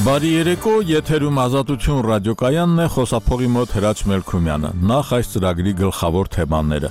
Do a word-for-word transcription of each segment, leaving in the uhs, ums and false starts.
Բարի երեկո, եթերում Ազատություն ռադիոկայանն է, խոսափողի մոտ Հրաչ Մելքումյանը։ Նախ այս ծրագրի գլխավոր թեմաները։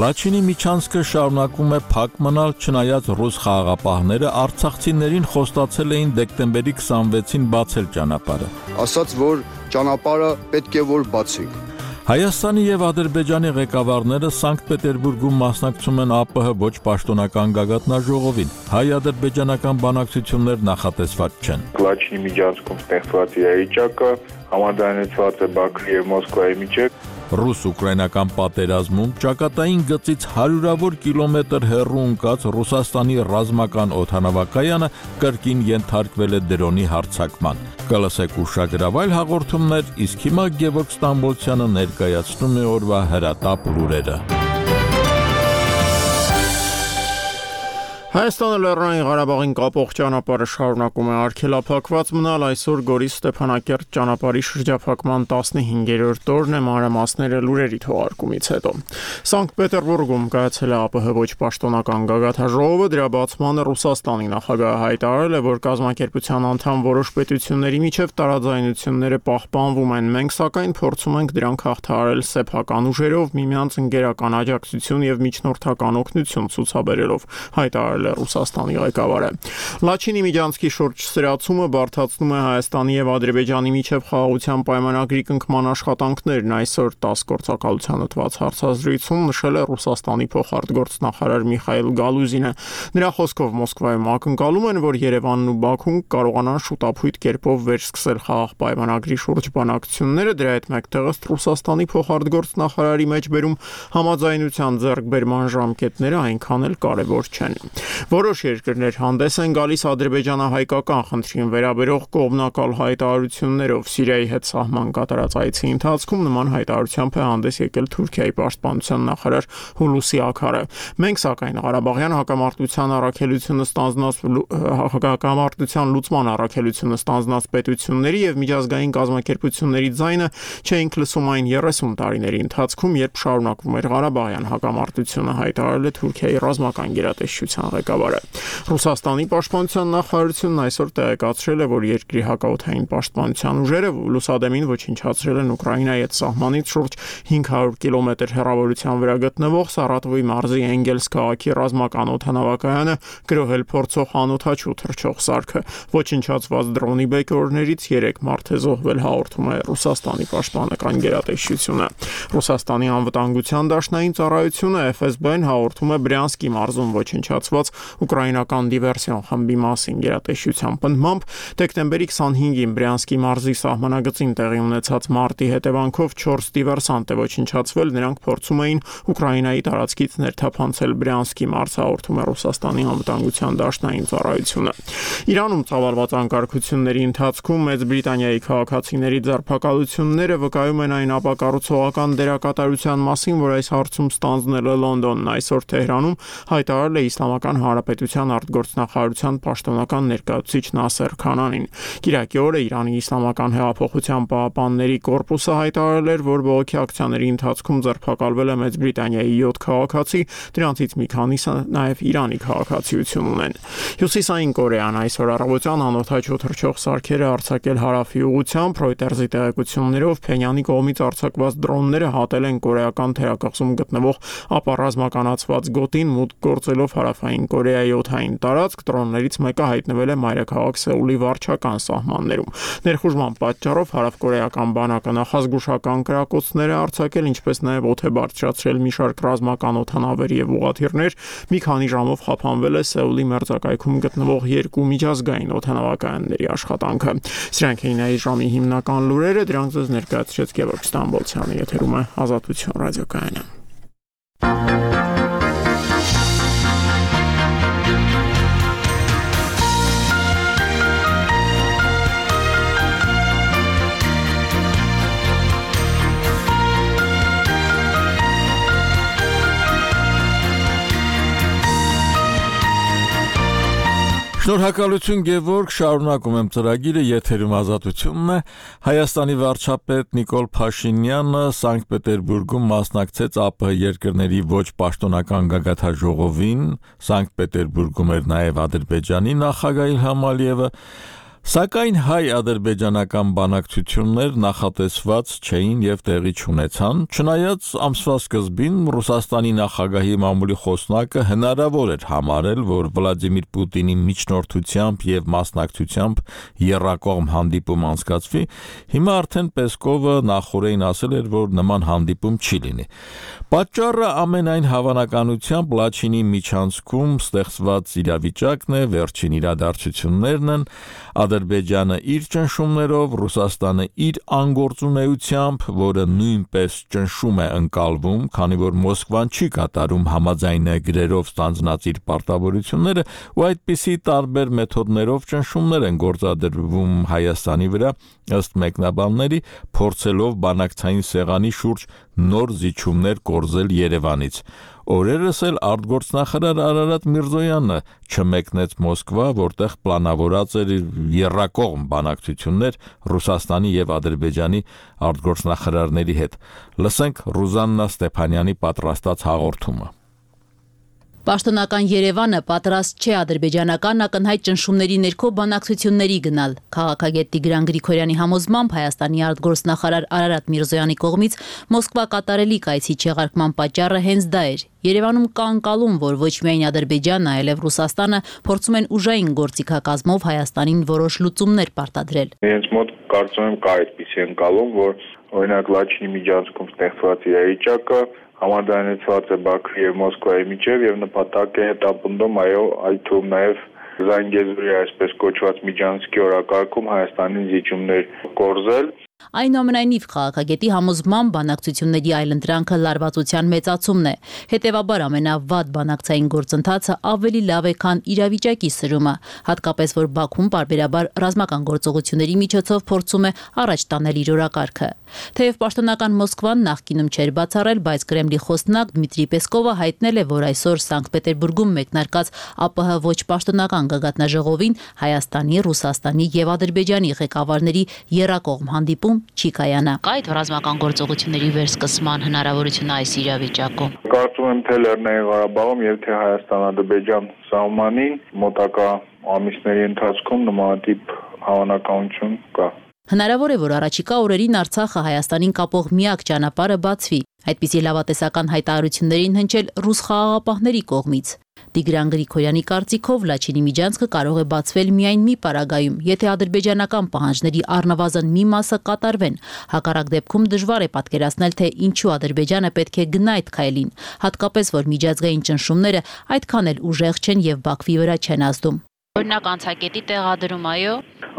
Լաչինի միջանցքը շարունակում է փակ մնալ, չնայած ռուս խաղաղապահները արցախցիներին խոստացել էին դեկտեմբերի քսանվեցին բացել ճանապարհը։ Ասաց, որ ճանապարհը պետք է որ բացենք։ Հայաստանի եւ Ադրբեջանի ղեկավարները Սանկտ Պետերբուրգում մասնակցում են ԱՊՀ ոչ պաշտոնական գագաթնաժողովին։ Հայ-ադրբեջանական բանակցություններ նախատեսված չեն։ Լաչինի միջանցքում ստեղծված իրավիճակը համաձայնեցված է Բաքվի եւ Մոսկվայի միջեւ։ Ռուս-ուկրաինական պատերազմում ճակատային գծից հարյուրավոր կիլոմետր հեռու ընկած Ռուսաստանի ռազմական օդանավակայանը կրկին ենթարկվել է դրոնի հարձակման։ Կլսեք ուշագրավայր հաղորդումներ, իսկ հիմա Գևորգ Ստամբոլցյանը ներկայացնում է օրվա հրատապ լուրերը։ Հայաստանը Լեռնային Ղարաբաղին կապող ճանապարհը շարունակում է արգելափակված մնալ, այսօր Գորիս Ստեփանակերտ ճանապարհի շրջափակման տասնհինգերորդ օրն է, մանրամասները լուրերի թողարկումից հետո։ Սանկտ Պետերբուրգում կայացել է ԱՊՀ ոչ պաշտոնական գագաթնաժողովը, դրա բացմանը Ռուսաստանի նախագահը հայտարարել է, որ կազմակերպության անդամ որոշ պետությունների միջև տարաձայնությունները պահպանվում են, մենք սակայն փորձում ենք դրանք հաղթահարել սեփական ուժերով, միմյանց ընկերական աջակցություն եւ միջնորդական օգնություն ցուցաբերելով, հայտարարել Ռուսաստանի ղեկավարը։ Լաչինի միջանցքի շուրջ սրացումը բարդացնում է Հայաստանի եւ Ադրբեջանի միջև խաղաղության պայմանագրի կնքման աշխատանքներն, այսօր տաս գործակալությանը տված հարցազրույցում նշել է Ռուսաստանի փոխարտգործնախարար Միխայիլ Գալուզինը։ Նրա խոսքով Մոսկվայում ակնկալում են, որ Երևանն ու Բաքուն կարողանան շուտափույթ կերպով վերսկսել խաղաղ պայմանագրի շուրջ բանակցությունները, դրա հետ մեկտեղս Ռուսաստանի փոխարտգործնախարարի մեջբերում համաձայնության ձեռքբերման ժամկետները այնքան էլ կարևոր չեն։ Որոշ երկրներ հանդես են գալիս ադրբեջանահայկական խնդրին վերաբերող կողմնակալ հայտարարություններով։ Սիրիայի հետ սահման կատարած այցի ընթացքում նման հայտարարությամբ է հանդես եկել Թուրքիայի պաշտպանության նախարար Հուլուսի Աքարը։ Մենք սակայն Ղարաբաղյան հակամարտության առաքելությունը ստանձնած հակամարտության լուծման առաքելությունը ստանձնած պետությունների եւ միջազգային կազմակերպությունների ձայնը չէինք լսում այն երեսուն տարիների ընթացքում, երբ շարունակվում էր Ղարաբաղյան հակամարտությունը, հայտարարել է Թուրքիայի ռազմական գերատեսչության ղեկավարը։ Ռուսաստանի պաշտպանության նախարարությունն այսօր տեղեկացրել է, որ երկրի հակաօդային պաշտպանության ուժերը լուսադեմին ոչնչացրել են Ուկրաինայի հետ սահմանից շուրջ հինգ հարյուր կիլոմետր հեռավորության վրա գտնվող Սարատովի մարզի Էնգելս քաղաքի ռազմական օդանավակայանը, գրոհել փորձող անօդաչու թռչող սարքը։ Ոչնչացված դրոնի բեկորներից երեք մարդ է զոհվել, հաղորդում է Ռուսաստանի պաշտպանական գերատեսչությունը։ Ռուսաստանի անվտանգության դաշնային ծառայությունը Էֆ Էս Բի-ն հաղորդում է Բրյանսկի մարզում ոչնչացված ուկրաինական դիվերսիոն խմբի մասին գերատեսչության պնդմամբ դեկտեմբերի քսանհինգին Բրյանսկի մարզի սահմանագծին տեղի ունեցած մարտի հետևանքով չորս դիվերսանտ է ոչնչացվել, նրանք փորձում էին Ուկրաինայի տարածքից ներթափանցել Բրյանսկի մարզ, հաղորդում է Ռուսաստանի անվտանգության դաշնային ծառայությունը։ Իրանում ծավալված անկարգությունների ընթացքում Մեծ Բրիտանիայի քաղաքացիների ձերբակալությունները վկայում են այն ապակառուցողական դերակատարության մասին, որ այս հարցում ստանձնել է Լոնդոնն։ Այսօր Թեհրանում հայտարարել է Իսլամական Հանրապետության արտգործնախարարության պաշտոնական ներկայացուցիչ Նասեր Քանանին։ Կիրակի օրը Իրանի Իսլամական հեղափոխության պահապանների կորպուսը հայտարարել էր, որ բողոքի ակցիաների ընթացքում ձերբակալվել է Մեծ Բրիտանիայի յոթ քաղաքացի, դրանցից մի քանիսը նաև Իրանի քաղաքացիություն ունեն։ Հյուսիսային Կորեան այսօր առավոտյան անօդաչու թռչող սարքերը արձակել հարավի ուղղությամբ, Reuters-ի տեղեկություններով Փենյանի կողմից արձակված դրոնները հատել են կորեական թերակղզում գտնվող ապառազմականացված գոտին, մուտք գործելով հարավային Կորեայի օդային տարածք, դրոններից մեկը հայտնվել է մայրաքաղաք Սեուլի վարչական սահմաններում։ Ներխուժման պատճառով հարավկորեական բանակը նախազգուշական կրակոցներ է արձակել, ինչպես նաև օդ է բարձրացրել մի շարք ռազմական օդանավեր եւ ուղղաթիռներ։ Մի քանի ժամով խափանվել է Սեուլի մերձակայքում գտնվող երկու միջազգային օդանավակայանների աշխատանքը։ Սրանք էին այս ժամի հիմնական լուրերը, դրանք ձեզ ներկայացրեց Գևորգ Ստամբոլցյանը, եթերում է Ազատություն ռադիոկայանը։ Շնորհակալություն Գևորգ, շարունակում եմ ծրագիրը, եթերում Ազատությունն է։ Հայաստանի վարչապետ Նիկոլ Փաշինյանը Սանկտ Պետերբուրգում մասնակցեց ԱՊՀ երկրների ոչ պաշտոնական գագաթնաժողովին, Սանկտ Պետերբուրգում էր նաև Ադրբեջանի նախագահ Իլհամ Ալիևը։ Սակայն հայ-ադրբեջանական բանակցություններ նախատեսված չէին եւ տեղի չունեցան, չնայած ամսվա սկզբին Ռուսաստանի նախագահի մամուլի խոսնակը հնարավոր էր համարել, որ Վլադիմիր Պուտինի միջնորդությամբ եւ մասնակցությամբ եռակողմ հանդիպում անցկացվի, հիմա արդեն Պեսկովը նախորդին ասել էր, որ նման հանդիպում չի լինի։ Պատճառը ամենայն հավանականությամբ Լաչինի միջանցքում ստեղծված իրավիճակն է, վերջին իրադարձություններն են, Ադրբեջանը իր ճնշումներով, Ռուսաստանը իր անգործունեությամբ, որը նույնպես ճնշում է ընկալվում, քանի որ Մոսկվան չի կատարում համաձայնագրերով ստանձնած իր պարտավորությունները, ու այդպիսի տարբեր մեթոդներով ճնշումներ են գործադրվում Հայաստանի վրա, ըստ մեկնաբանների, փորձելով բանակցային սեղանի շուրջ նոր զիջումներ կորզել Երևանից։ Օրերս էլ արտգործնախարար Արարատ Միրզոյանը չմեկնեց Մոսկվա, որտեղ պլանավորած էր եռակողմ բանակցություններ Ռուսաստանի եւ Ադրբեջանի արտգործնախարարների հետ։ Լսենք Ռուզաննա Ստեփանյանի պատրաստած հաղորդումը։ Պաշտոնական Երևանը պատրաստ չէ ադրբեջանական ակնհայտ ճնշումների ներքո բանակցությունների գնալ։ Քաղաքագետ Տիգրան Գրիգորյանի համոզմամբ Հայաստանի արտգործնախարար Արարատ Միրզոյանի կողմից Մոսկվա կատարելի կայցի չեղարկման պատճառը հենց դա էր։ Երևանում կա անկալում, որ ոչ միայն Ադրբեջանը, այլև Ռուսաստանը փորձում են ուժային գործիքակազմով Հայաստանին որոշ լուծումներ պարտադրել։ Իրենց մոտ կարծում եմ կա այդպիսի անկալում, որ օրինակ Լաչինի միջանցքում ստեղծված իրավիճակը համաձայնեցված է Բաքվի եւ Մոսկվայի միջեւ եւ նպատակ է հետապնդում, այո, այդ թվում նաեւ Զանգեզուրի այսպես կոչված միջանցքի օրակարգում Հայաստանին զիջումներ կորզել։ Այնուամենայնիվ քաղաքագետի համոզմամբ բանակցությունների այլընտրանքը լարվածության մեծացումն է։ Հետևաբար ամենավատ բանակցային գործընթացը ավելի լավ է, քան իրավիճակի սրումը, հատկապես որ Բաքուն պարբերաբար ռազմական գործողությունների միջոցով փորձում է առաջ տանել իր օրակարգը։ Թեև պաշտոնական Մոսկվան նախկինում չէր բացառել, բայց Կրեմլի խոսնակ Դմիտրի Պեսկովը հայտնել է, որ այսօր Սանկտ Պետերբուրգում մեկնարկած ԱՊՀ ոչ պաշտոնական գագաթնաժողովին Հայաստանի, Ռուսաստանի եւ Ադրբեջանի ղեկավարների եռակողմ հանդիպում չի կայանա։ Կա այդ ռազմական գործողությունների վերսկսման հնարավորությունը այս իրավիճակում։ Կարծում եմ թե Լեռնային Ղարաբաղում եւ թե Հայաստան-Ադրբեջան սահմանին մոտակա ամիսների ընթացքում նմանատիպ հավանականություն կա։ Հնարավոր է, որ առաջիկա օրերին Արցախը Հայաստանին կապող միակ ճանապարհը բացվի։ Այդպիսի լավատեսական հայտարարություններին հնչել ռուս խաղաղապահների կողմից։ Տիգրան Գրիգորյանի կարծիքով Լաչինի միջանցքը կարող է բացվել միայն մի պարագայում, եթե ադրբեջանական պահանջների առնվազն մի մասը կատարվեն։ Հակառակ դեպքում դժվար է պատկերացնել, թե ինչու Ադրբեջանը պետք է գնա այդ քայլին, հատկապես որ միջազգային ճնշումները այդքան էլ ուժեղ չեն եւ Բաքվի վրա չեն ազդում։ Օրինակ անցակետի տեղադրում, այո։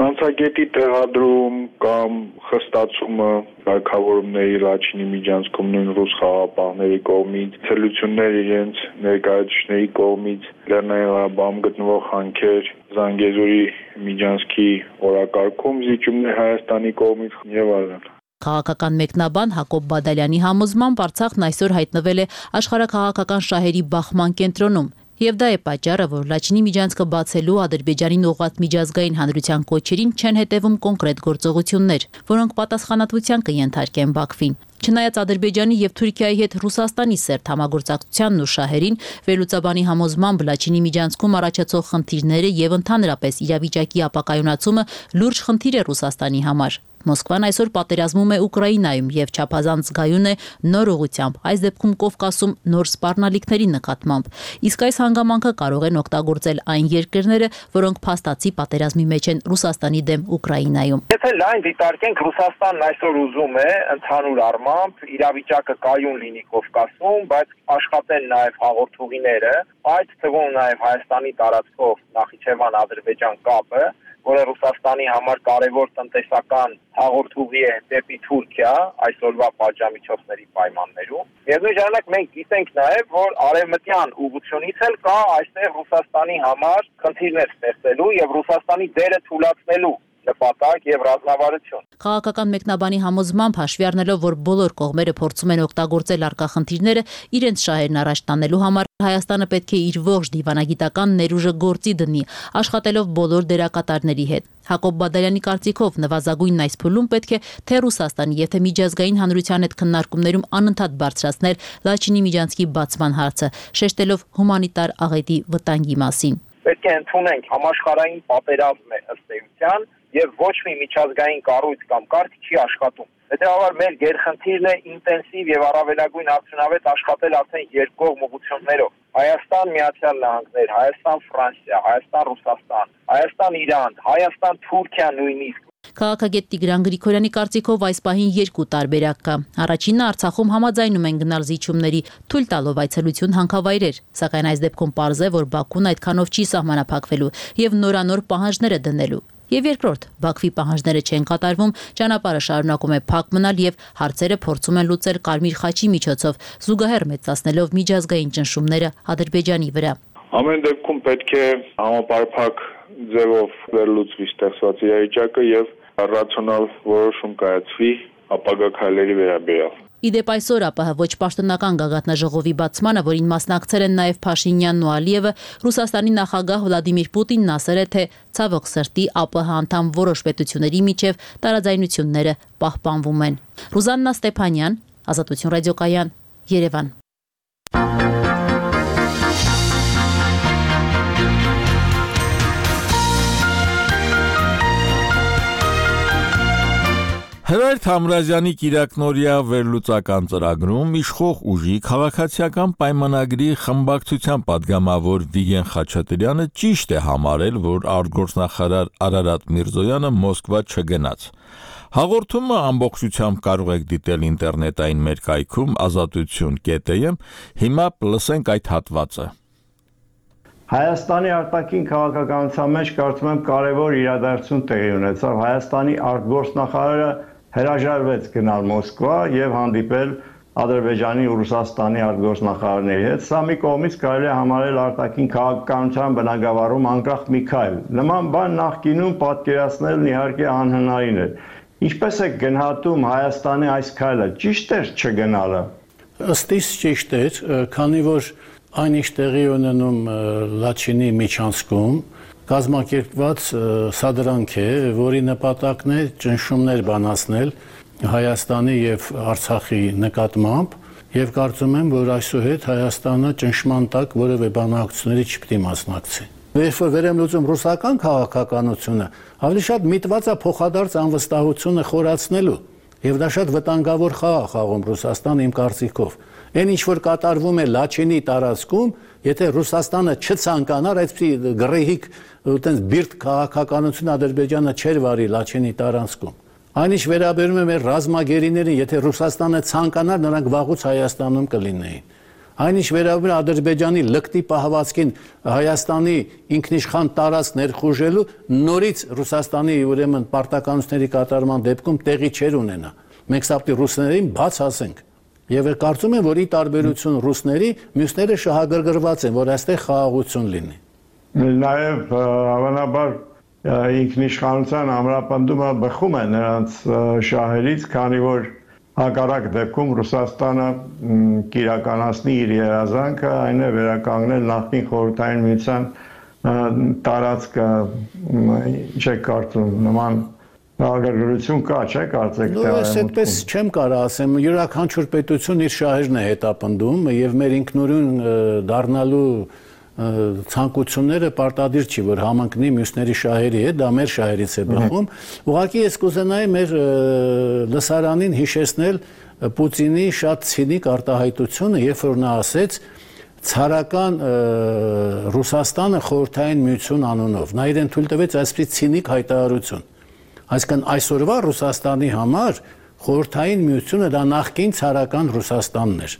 Անցակետի տեղադրում կամ խստացումը կարգավորումների Լաչինի միջանցքում նույն ռուս խաղաղապահների կողմից, ցելություններ իրենց ներկայացուցիչների կողմից, Լեռնային Ղարաբաղում գտնվող հանքեր, Զանգեզուրի միջանցքի օրակարգում զիջումներ Հայաստանի կողմից եւ այլն։ Քաղաքական մեկնաբան Հակոբ Բադալյանի համոզմամբ Արցախն այսօր հայտնվել է աշխարհաքաղաքական շահերի բախման կենտրոնում։ Եվ դա է պատճառը, որ Լաչինի միջանցքը բացելու Ադրբեջանին ուղղված միջազգային հանրության կոչերին չեն հետևում կոնկրետ գործողություններ, որոնք պատասխանատվության կենթարկեն Բաքվին։ Չնայած Ադրբեջանի եւ Թուրքիայի հետ Ռուսաստանի սերտ համագործակցությանն ու շահերին, վերլուծաբանի համոզմամբ Լաչինի միջանցքում առաջացող խնդիրները եւ ընդհանրապես իրավիճակի ապակայունացումը լուրջ խնդիր է Ռուսաստանի համար։ Մոսկվան այսօր պատերազմում է Ուկրաինայում եւ չափազանց զգայուն է նոր ուղղությամբ, այս դեպքում Կովկասում նոր սպառնալիքների նկատմամբ։ Իսկ այս հանգամանքը կարող են օգտագործել այն երկրները, որոնք փաստացի պատերազմի մեջ են Ռուսաստանի դեմ Ուկրաինայում։ Եթե լայն դիտարկենք, Ռուսաստանն այսօր ուզում է ընդհանուր առմամբ իրավիճակը կայուն լինի Կովկասում, բայց աշխատեն նաեւ հաղորդուղիները, այդ թվում նաեւ Հայաստանի տարածքով Նախիջևան-Ադրբեջան կապը, որը Ռուսաստանի համար կարևոր տնտեսական հաղորդուղի է դեպի Թուրքիա այսօրվա պատժամիջոցների պայմաններում։ Միևնույն ժամանակ մենք գիտենք նաև, որ արևմտյան ուղղությունից էլ կա այստեղ Ռուսաստանի համար խնդիրներ ստեղծելու եւ Ռուսաստանի դերը թուլացնելու նպատակ եւ ռազմավարություն։ Քաղաքական մեկնաբանի համոզմամբ հաշվի առնելով, որ բոլոր կողմերը փորձում են օգտագործել առկա խնդիրները իրենց շահերն առաջ տանելու համար, Հայաստանը պետք է իր ողջ դիվանագիտական ներուժը գործի դնի, աշխատելով բոլոր դերակատարների հետ։ Հակոբ Բադալյանի կարծիքով նվազագույնն այս փուլում պետք է թե Ռուսաստանի եւ թե միջազգային հանրության հետ քննարկումներում անընդհատ բարձրացնել Լաչինի միջանցքի բացման հարցը, շեշտելով հումանիտար աղետի վտանգի մասին։ պետք է ընդունենք համաշխարհային պատերազմ է ըստ էության եւ ոչ մի միջազգային կառույց կամ կարգ չի աշխատում։ Հետևաբար մեր գերխնդիրն է ինտենսիվ եւ առավելագույն արդյունավետ աշխատել արդեն երկկողմ ուղղություններով։ Հայաստան, Միացյալ Նահանգներ, Հայաստան, Ֆրանսիա, Հայաստան, Ռուսաստան, Հայաստան, Իրան, Հայաստան, Թուրքիա նույնիսկ։ Քաղաքագետ Տիգրան Գրիգորյանի կարծիքով այս պահին երկու տարբերակ կա։ Առաջինը Արցախում համաձայնում են գնալ զիջումների, թույլ տալով այցելություն հանքավայրեր, սակայն այս դեպքում պարզ է, որ Բաքուն այդքանով չի սահմանափակվելու եւ նորանոր պահանջներ է դնելու։ Եվ երկրորդ, Բաքվի պահանջները չեն կատարվում, ճանապարհը շարունակում է փակ մնալ եւ հարցերը փորձում են լուծել Կարմիր խաչի միջոցով, զուգահեռ մեծացնելով միջազգային ճնշումները Ադրբեջանի վրա։ Ամեն դեպքում պետք է համապարփակ ձևով վերլուծվի ստեղծված իրավիճակը եւ ռացիոնալ որոշում կայացվի ապագա քայլերի վերաբերյալ։ Իդեպ այսօր ԱՊՀ ոչ պաշտոնական գագաթնաժողովի բացմանը, որին մասնակցել են նաև Փաշինյանն ու Ալիևը, Ռուսաստանի նախագահ Վլադիմիր Պուտինն ասել է, թե ցավոք սրտի ԱՊՀ անդամ որոշ պետությունների միջև տարաձայնությունները պահպանվում են։ Ռուզաննա Ստեփանյան, Ազատություն ռադիոկայան, Երևան։ Հրայր Թամրազյանի կիրակնօրյա վերլուծական ծրագրում իշխող ուժի քաղաքացիական պայմանագրի խմբակցության падգամավոր Վիգեն Խաչատրյանը ճիշտ է համարել, որ արտգործնախարար Արարատ Միրզոյանը Մոսկվա չգնաց։ Հաղորդումը ամբողջությամբ կարող եք դիտել ինտերնետային մեր կայքում ազատություն կետ էմ, հիմա լսենք այդ հատվածը։ Հայաստանի արտաքին քաղաքականության մեջ կարծում եմ կարևոր իրադարձություն տեղի ունեցավ։ Հայաստանի արտգործնախարարը հրաժարվեց գնալ Մոսկվա եւ հանդիպել Ադրբեջանի ու Ռուսաստանի արտգործնախարարների հետ։ Սա մի կողմից կարելի է համարել արտաքին քաղաքականության բնագավառում անկախ մի քայլ։ Նման բան նախկինում պատկերացնելն իհարկե անհնարին էր։ Ինչպես է գնահատում Հայաստանի այս քայլը, ճիշտ էր չգնալը։ Ըստ իս ճիշտ էր, քանի որ այն ինչ տեղի ունենում Լաչինի միջանցքում կազմակերպված սադրանք է, որի նպատակն է ճնշումներ բանացնել Հայաստանի եւ Արցախի նկատմամբ եւ կարծում եմ, որ այսուհետ Հայաստանը ճնշման տակ որևէ բանակցությունների չպետք է մասնակցի։ Երբ որ վերեմլուծում ռուսական քաղաքականությունը, ավելի շատ միտված է փոխադարձ անվստահությունը խորացնելու եւ դա շատ վտանգավոր խաղ է խաղում Ռուսաստանը իմ կարծիքով։ Այն ինչ որ կատարվում է Լաչինի տարածքում, եթե Ռուսաստանը չցանկանար այսպիսի գրեհիկ այտենց բիրտ քաղաքականություն Ադրբեջանը չէր վարի Լաչինի տարածքում։ Այնինչ վերաբերում է մեր ռազմագերիներին, եթե Ռուսաստանը ցանկանար, նրանք վաղուց Հայաստանում կլինեին։ Այնինչ վերաբերում է Ադրբեջանի լկտի պահվածքին Հայաստանի ինքնիշխան տարածք ներխուժելու, նորից Ռուսաստանի ուրեմն պարտականությունների կատարման դեպքում տեղի չէր ունենա։ Մենք սա պետք է ռուսներին բաց ասենք։ Եվ կարծում եմ, որ ի տարբերություն ռուսների, մյուսները շահագրգռված են, որ այստեղ խաղաղություն լինի։ Նաև հավանաբար ինքնիշխանության ամրապնդումը բխում է նրանց շահերից, քանի որ հակառակ դեպքում Ռուսաստանը կիրականացնի իր երազանքը, այն է վերականգնել նախկին խորհրդային միության տարածքը, ինչ է կարծում, նման Ագրգռություն կա, չէ՞ կարծեք թե այս այդպես չեմ կարող ասեմ, յուրաքանչյուր պետություն իր շահերն է հետապնդում եւ մեր ինքնուրույն դառնալու ցանկությունները պարտադիր չի, որ համընկնի մյուսների շահերի հետ, դա մեր շահերից է բխում։ Ուղղակի ես կուզենայի մեր լսարանին հիշեցնել Պուտինի շատ ցինիկ արտահայտությունը, երբ որ նա ասեց ցարական Ռուսաստանը խորհրդային միություն անունով։ Նա իրեն թույլ տվեց այսպես ցինիկ հայտարարություն։ Այսինքն այսօրվա Ռուսաստանի համար խորհրդային միությունը դա նախկին ցարական Ռուսաստանն էր։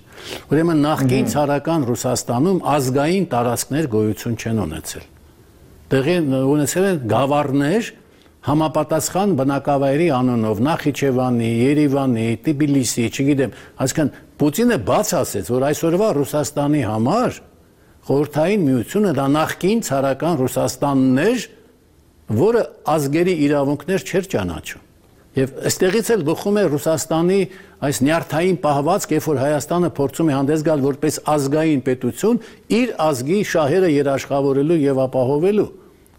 Ուրեմն նախկին ցարական Ռուսաստանում ազգային տարածքներ գոյություն չեն ունեցել։ Տեղի ունեցել են գավառներ համապատասխան բնակավայրի անունով, Նախիջևանի, Երևանի, Թբիլիսի, չգիտեմ, այսինքն Պուտինը բաց ասեց, որ այսօրվա Ռուսաստանի համար խորհրդային միությունը դա նախկին ցարական Ռուսաստանն էր, որը ազգերի իրավունքներ չէր ճանաչում։ Եվ այստեղից էլ բխում է Ռուսաստանի այս նյարդային պահվածք, երբ որ Հայաստանը փորձում է հանդես գալ որպես ազգային պետություն, իր ազգի շահերը երաշխավորելու եւ ապահովելու։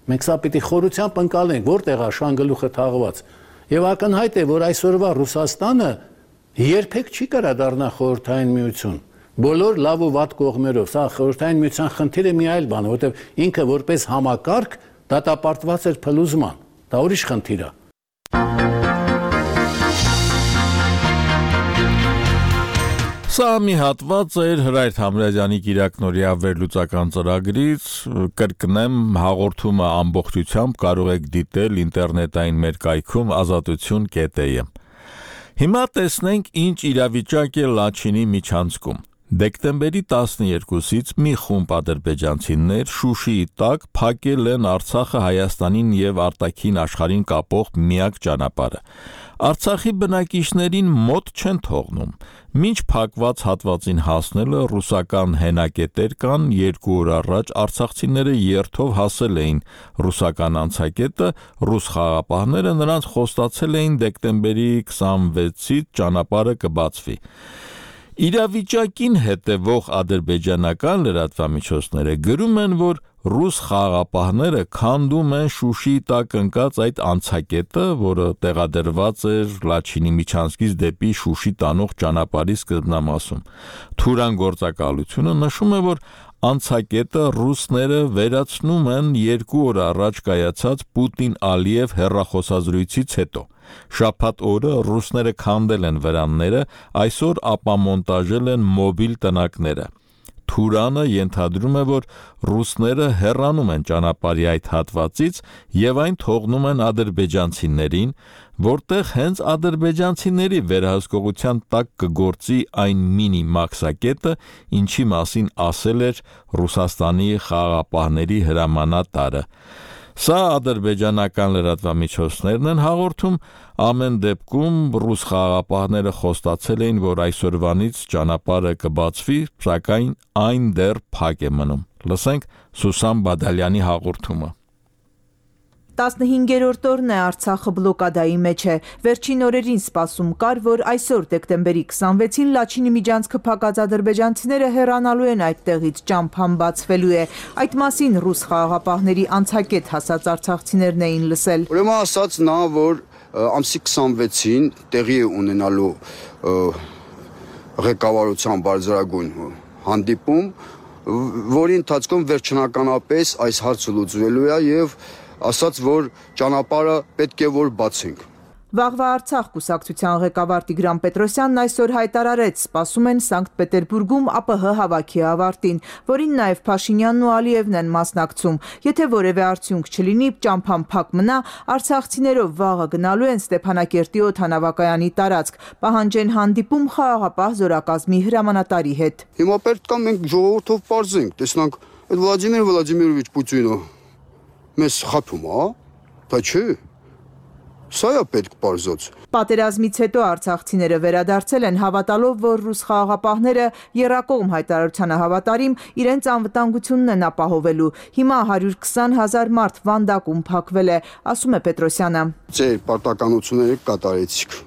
Մենք սա պիտի խորությամբ ընկալենք, որտեղ է շանգլուխը թաղված։ Եվ ակնհայտ է, որ այսօրվա Ռուսաստանը երբեք չի կարող դառնա խորհրդային միություն։ Բոլոր լավ ու վատ կողմերով, սա խորհրդային միության խնդիրը մի այլ բան է, որովհետև ինքը որպես համակարգ դատապարտված էր փլուզման, դա ուրիշ խնդիր է։ Սա մի հատված էր Հրայր Թամրազյանի Կիրակնորիա վերլուծական ծրագրից, կրկնեմ հաղորդումը ամբողջությամբ կարող եք դիտել ինտերնետային մեր կայքում ազատություն կետ է ը։ Հիմա տեսնենք ինչ իրավիճակ է Լաչինի միջանցքում։ Դեկտեմբերի տասներկուսից մի խումբ ադրբեջանցիներ Շուշիի տակ փակել են Արցախը Հայաստանին եւ արտաքին աշխարհին կապող միակ ճանապարհը։ Արցախի բնակիչներին մոտ չեն թողնում։ Մինչ փակված հատվածին հասնելը ռուսական հենակետեր կան, երկու օր առաջ արցախցիները երթով հասել էին ռուսական անցակետը, ռուս խաղապահները նրանց խոստացել էին դեկտեմբերի քսանվեցից ճանապարհը կբացվի։ Իրավիճակին հետևող ադրբեջանական լրատվամիջոցները գրում են, որ ռուս խաղապահները քանդում են Շուշիի տակ ընկած այդ անցակետը, որը տեղադրված էր Լաչինի միջանցքից դեպի Շուշի տանող ճանապարհի սկզբնամասում։ Թուրան գործակալությունը նշում է, որ անցակետը ռուսները վերացնում են երկու օր առաջ կայացած Պուտին-Ալիև հեռախոսազրույցից հետո։ Շաբաթ օրը ռուսները քանդել են վրանները, այսօր ապամոնտաժել են մոբիլ տնակները։ Թուրանը ենթադրում է, որ ռուսները հեռանում են ճանապարհի այդ հատվածից եւ այն թողնում են ադրբեջանցիներին, որտեղ հենց ադրբեջանցիների վերահսկողության տակ կգործի այն մինի մաքսակետը, ինչի մասին ասել էր Ռուսաստանի խաղաղապահների հրամանատարը։ Սա ադրբեջանական լրատվամիջոցներն են հաղորդում, ամեն դեպքում ռուս խաղաղապահները խոստացել էին, որ այսօրվանից ճանապարհը կբացվի, սակայն այն դեռ փակ է մնում։ Լսենք Սուսան Բադալյանի հաղորդումը։ տասնհինգերորդ օրն է Արցախը բլոկադայի մեջ է։ Վերջին օրերին սպասում կար, որ այսօր դեկտեմբերի քսանվեցին Լաչինի միջանցքը փակած ադրբեջանցիները հեռանալու են այդտեղից, ճամփան բացվելու է։ Այդ մասին ռուս խաղաղապահների անցակետ հասած արցախցիներն էին լսել։ Ուրեմն ասաց նա, որ ամսի քսանվեցին տեղի է ունենալու ղեկավարության բարձրագույն հանդիպում, որի ընթացքում վերջնականապես այս հարցը լուծվելու է եւ ասաց, որ ճանապարհը պետք է որ բացենք։ Վաղվա Արցախ կուսակցության ղեկավար Տիգրան Պետրոսյանն այսօր հայտարարեց, սպասում են Սանկտ Պետերբուրգում ԱՊՀ հավաքի ավարտին, որին նաև Փաշինյանն ու Ալիևն են մասնակցում։ Եթե որևէ արդյունք չլինի, ճամփան փակ մնա, արցախցիներով վաղը գնալու են Ստեփանակերտի օդանավակայանի տարածք, պահանջեն հանդիպում խաղաղապահ զորակազմի հրամանատարի հետ։ Հիմա պետք է մենք ժողովրդով պարզենք, տեսնանք, այդ Վլադիմիր Վլադիմիրովիչ Պուտինը մեզ խափում է, դա չէ։ Սա է պետք պարզոց։ Պատերազմից հետո արցախցիները վերադարձել են հավատալով, որ ռուս խաղաղապահները եռակողմ հայտարարությանը հավատարիմ իրենց անվտանգությունն են ապահովելու։ Հիմա հարյուր քսան հազար մարդ վանդակում փակվել է, ասում է Պետրոսյանը։ Ձեր պարտականությունները կատարեցիք։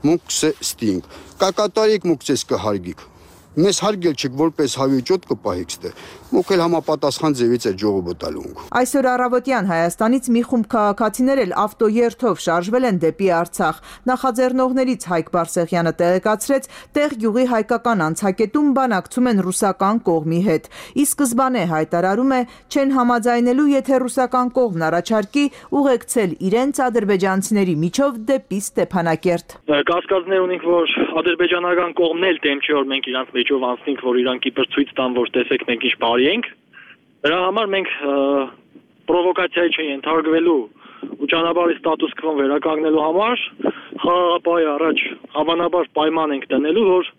Մուք ստինք։ Կակատարիկ մուք ցես կհարգիք։ Մեզ հարգել չեք, որպես հավիճոտ կպահիք ստե։ Մուք էլ համապատասխան ձևից է ժողովը տալու։ Այսօր առավոտյան Հայաստանից մի խումբ քաղաքացիներ էլ ավտոերթով շարժվել են դեպի Արցախ։ Նախաձեռնողներից Հայկ Բարսեղյանը տեղեկացրեց, տեղ գյուղի հայկական անցակետում բանակցում են ռուսական կողմի հետ։ Ի սկզբանե հայտարարում է, չեն համաձայնելու, եթե ռուսական կողմն առաջարկի ուղեկցել իրենց ադրբեջանցիների միջով դեպի Ստեփանակերտ։ Կասկածներ ունենք, որ ադրբեջանական կողմն էլ դեմ չի, որ մենք իրանց մեջով անցնենք, որ իրանք իբր ցույց տան, որ տեսեք մենք ինչ բարի ենք։ Դրա համար մենք պրովոկացիայի չենթարկվելու ու ճանապարհի ստատուս քվոն վերականգնելու համար խաղաղապահի առաջ հավանաբար պայման ենք դնելու, որ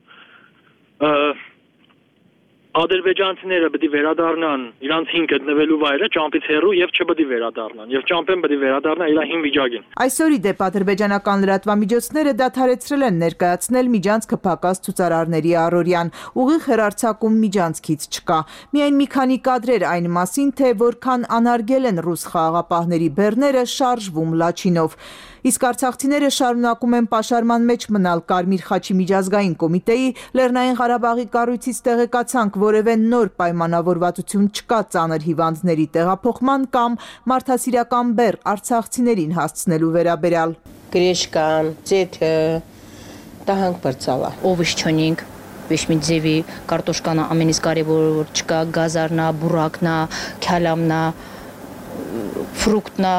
ադրբեջանցիները պետք է վերադառնան իրանց հին գտնվելու վայրը ճամփից հեռու եւ չպետք է վերադառնան եւ ճամփեն պետք է վերադառնա իր հին վիճակին։ Այսօր ի դեպ ադրբեջանական լրատվամիջոցները դադարեցրել են ներկայացնել միջանցքը փակած ցուցարարների առօրյան, ուղիղ հեռարձակում միջանցքից չկա։ Միայն մի քանի կադրեր այն մասին, թե որքան անարգել են ռուս խաղաղապահների բեռները շարժվում Լաչինով։ Իսկ արցախցիները շարունակում են պաշարման մեջ մնալ Կարմիր խաչի միջազգային կոմիտեի Լեռնային Ղարաբաղի կառույցից տեղեկացանք, որևէ նոր պայմանավորվածություն չկա ծանր հիվանդների տեղափոխման կամ մարդասիրական բեռ արցախցիներին հասցնելու վերաբերյալ։ Գրեշկան, ձեթը, տահանք բրծալա, Ովիշչոնինգ, որպես մի ձևի կարտոշկանա ամենից կարևորը որ չկա գազարնա, բուրակնա, քյալամնա, ֆրուկտնա,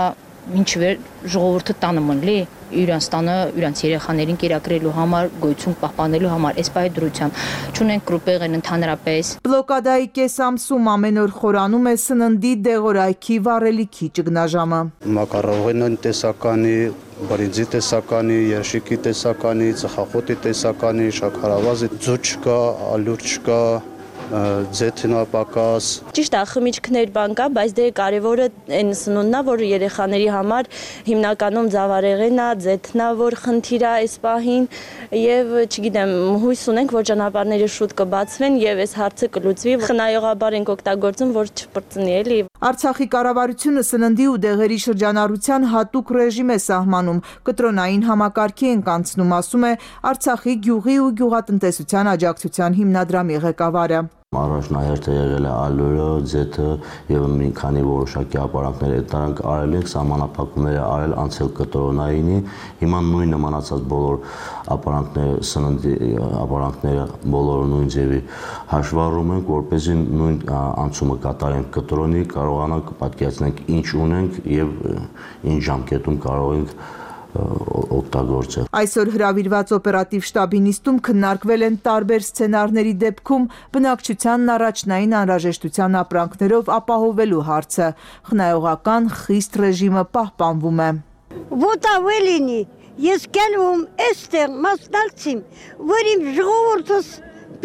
ինչ վեր ժողովուրդը տանը մնլի իրանց տանը, իրանց երեխաներին կերակրելու համար, գոյություն պահպանելու համար, այս բայ դրությամբ չունենք գրուպեր են ընդհանրապես։ Բլոկադայի կես ամսում ամեն օր խորանում է սննդի դեղորայքի վառելիքի ճգնաժամը։ Մակարոնի տեսականի, բրինձի տեսականի, երշիկի տեսականի, ծխախոտի տեսականի, շաքարավազի ձուկ չկա, ալյուր չկա, ձեթնապակաս։ Ճիշտ է, խմիչքներ բան կա, բայց դե կարևորը այն սնունդն է, որ երեխաների համար հիմնականում ձավարեղենն է, ձեթն է, որ խնդիր է այս պահին, եւ չգիտեմ, հույս ունենք, որ ճանապարհները շուտ կբացվեն եւ այս հարցը կլուծվի։ Խնայողաբար ենք օգտագործում, որ չպրծնի էլի։ Արցախի կառավարությունը սննդի ու դեղերի շրջանառության հատուկ ռեժիմ է սահմանում, կտրոնային համակարգի են կանցնում, ասում է Արցախի գյուղի ու գյուղատնտեսության աջակցության հիմնադրամի ղեկավարը։ Առաջնահերթ է եղել է ալյուրը, ձեթը եւ մի քանի որոշակի ապարանքներ այդ նրանք արել ենք, սահմանափակումներ արել անցել կտրոնայինի, հիմա նույն նմանացած բոլոր ապարանքները, սննդի ապարանքները բոլորը նույն ձևի հաշվառում ենք, որպեսզի նույն անցումը կատարենք կտրոնի, կարողանանք պատկերացնենք ինչ ունենք եւ ինչ ժամկետում կարող ենք օգտագործել։ Այսօր հրավիրված օպերատիվ շտաբի նիստում քննարկվել են տարբեր սցենարների դեպքում բնակչությանն առաջնային անհրաժեշտության ապրանքներով ապահովելու հարցը։ Խնայողական խիստ ռեժիմը պահպանվում է։ Ոտավը լինի, ես գալում էստեղ մասնակցիմ, որ իմ ժողովուրդս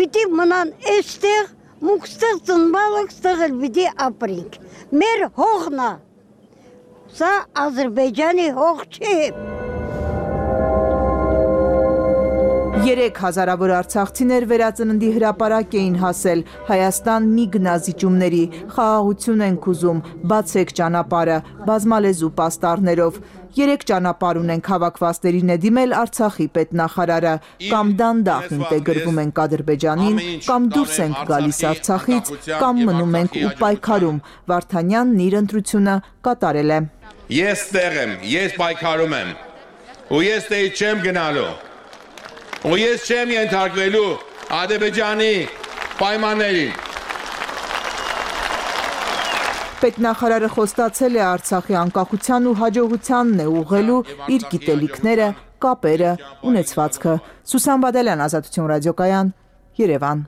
պիտի մնան էստեղ, մուկստեղ ծնվալը ստեղ էլ պիտի ապրինք։ Մեր հողն է, սա Ադրբեջանի հող չի։ Երեք հազարավոր արցախցիներ վերածննդի հրապարակ էին հասել Հայաստան մի գնազիջումների, խաղաղություն ենք ուզում, բացեք ճանապարհը, բազմալեզու պաստառներով։ Երեք ճանապարհ ունենք հավաքվածներին է դիմել Արցախի պետնախարարը, կամ դանդաղ ինտեգրվում ենք Ադրբեջանին, կամ դուրս ենք գալիս Արցախից, կամ մնում ենք ու պայքարում։ Վարդանյանն իր ընտրությունը կատարել է։ Ես տեղ եմ, ես պայքարում եմ, ու ես տեղ չեմ գնալու, ու ես չեմ ենթարկվելու Ադրբեջանի պայմաններին։ Պետնախարարը խոստացել է Արցախի անկախության ու հաջողությանն է ուղղելու իր գիտելիքները, կապերը, ունեցվածքը։ Սուսան Բադալյան, Ազատություն ռադիոկայան, Երևան։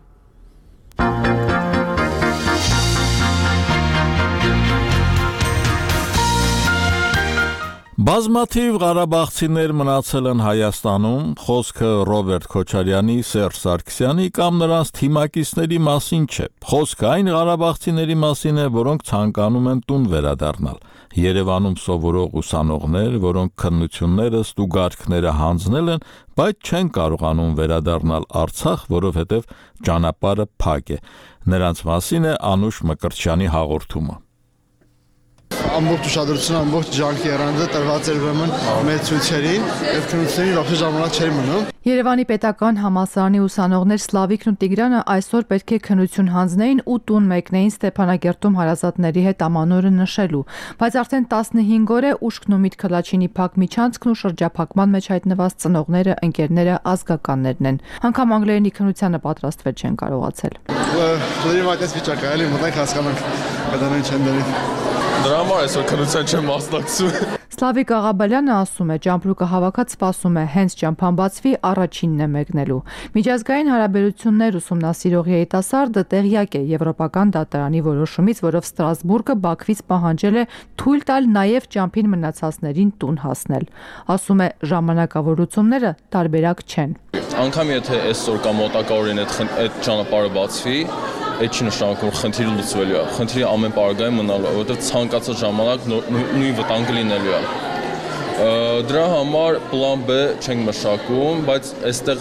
Բազմաթիվ ղարաբաղցիներ մնացել են Հայաստանում, խոսքը Ռոբերտ Քոչարյանի, Սերժ Սարգսյանի կամ նրանց թիմակիցների մասին չէ։ Խոսքը այն ղարաբաղցիների մասին է, որոնք ցանկանում են տուն վերադառնալ։ Երևանում սովորող ուսանողներ, որոնք քննությունները, ստուգարքները հանձնել են, բայց չեն կարողանում վերադառնալ Արցախ, որովհետև ճանապարհը փակ է։ Նրանց մասին է Անուշ Մկրտչյանի հաղորդումը։ Ամբողջ ուշադրությունը, ամբողջ ջանքի երանձը տրված էր ուրեմն մեր ցույցերին, եւ քննությունների լավ ժամանակ չէր մնում։ Երևանի պետական համալսարանի ուսանողներ Սլավիկն ու Տիգրանը այսօր պետք է քննություն հանձնեին ու տուն մեկնեին Ստեփանագերտում հարազատների հետ ամանորը նշելու, բայց արդեն տասնհինգ օր է ուշքն ու միտքը Լաչինի փակ միջանցքն ու շրջափակման մեջ հայտնված ծնողները, ընկերները, ազգականներն են։ Անկամ անգլերենի քննությանը պատրաստվել չեն կարողացել։ Դուրի մատես վիճակը էլի մտանք հասկանանք, կդանեն չեն դրի։ Դրա համար այսօր քննության չեմ մասնակցում։ Սլավիկ Աղաբալյանը ասում է, ճամպրուկը հավաքած սպասում է հենց ճամփան բացվի առաջինն է մեկնելու։ Միջազգային հարաբերություններ ուսումնասիրող երիտասարդը տեղյակ է Եվրոպական դատարանի որոշումից, որով Ստրասբուրգը Բաքվից պահանջել է թույլ տալ նաև ճամփին մնացածներին տուն հասնել։ Ասում է, ժամանակավորությունները տարբերակ չեն։ Անկամ եթե այսօր կամ մոտակա օրերին այդ ճանապարհը բացվի, այդ չի նշանակում խնդիրը լուծվելու է։ Խնդիրը ամեն պարագայում մնալու է, որովհետև ցանկացած ժամանակ նույն վտանգը լինելու է։ Դրա համար պլան B չենք մշակում, բայց այստեղ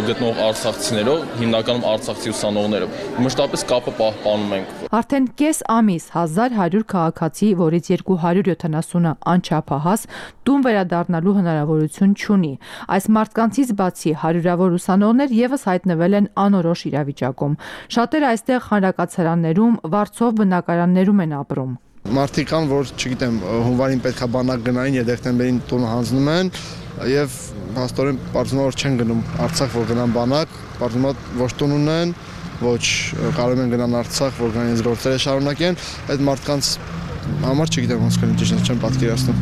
գտնող արցախցիներով, հիմնականում արցախցի ուսանողները, մշտապես կապը պահպանում ենք։ Արդեն կես ամիս հազար հարյուր քաղաքացի, որից երկու հարյուր յոթանասունը անչափահաս, տուն վերադառնալու հնարավորություն չունի։ Այս մարդկանցից բացի հարյուրավոր ուսանողներ եւս հայտնվել են անորոշ իրավիճակում։ Շատերը այստեղ հանրակացարաններում, վարձով բնակարաններում են ապրում։ Մարդիկ կան, որ, չգիտեմ, հունվարին պետքա բանակ գնային, եւ դեկտեմբերին տուն հանձնում են, եւ հաստորեն բարձում որ չեն գնում Արցախ, որ գնան բանակ, բարձում ոչ տուն ունեն, ոչ կարող են գնան Արցախ, որ գան իրենց գործերը շարունակեն, այդ մարդկանց համար չգիտեմ ոնց կլինի, ճիշտ չեմ պատկերացնում։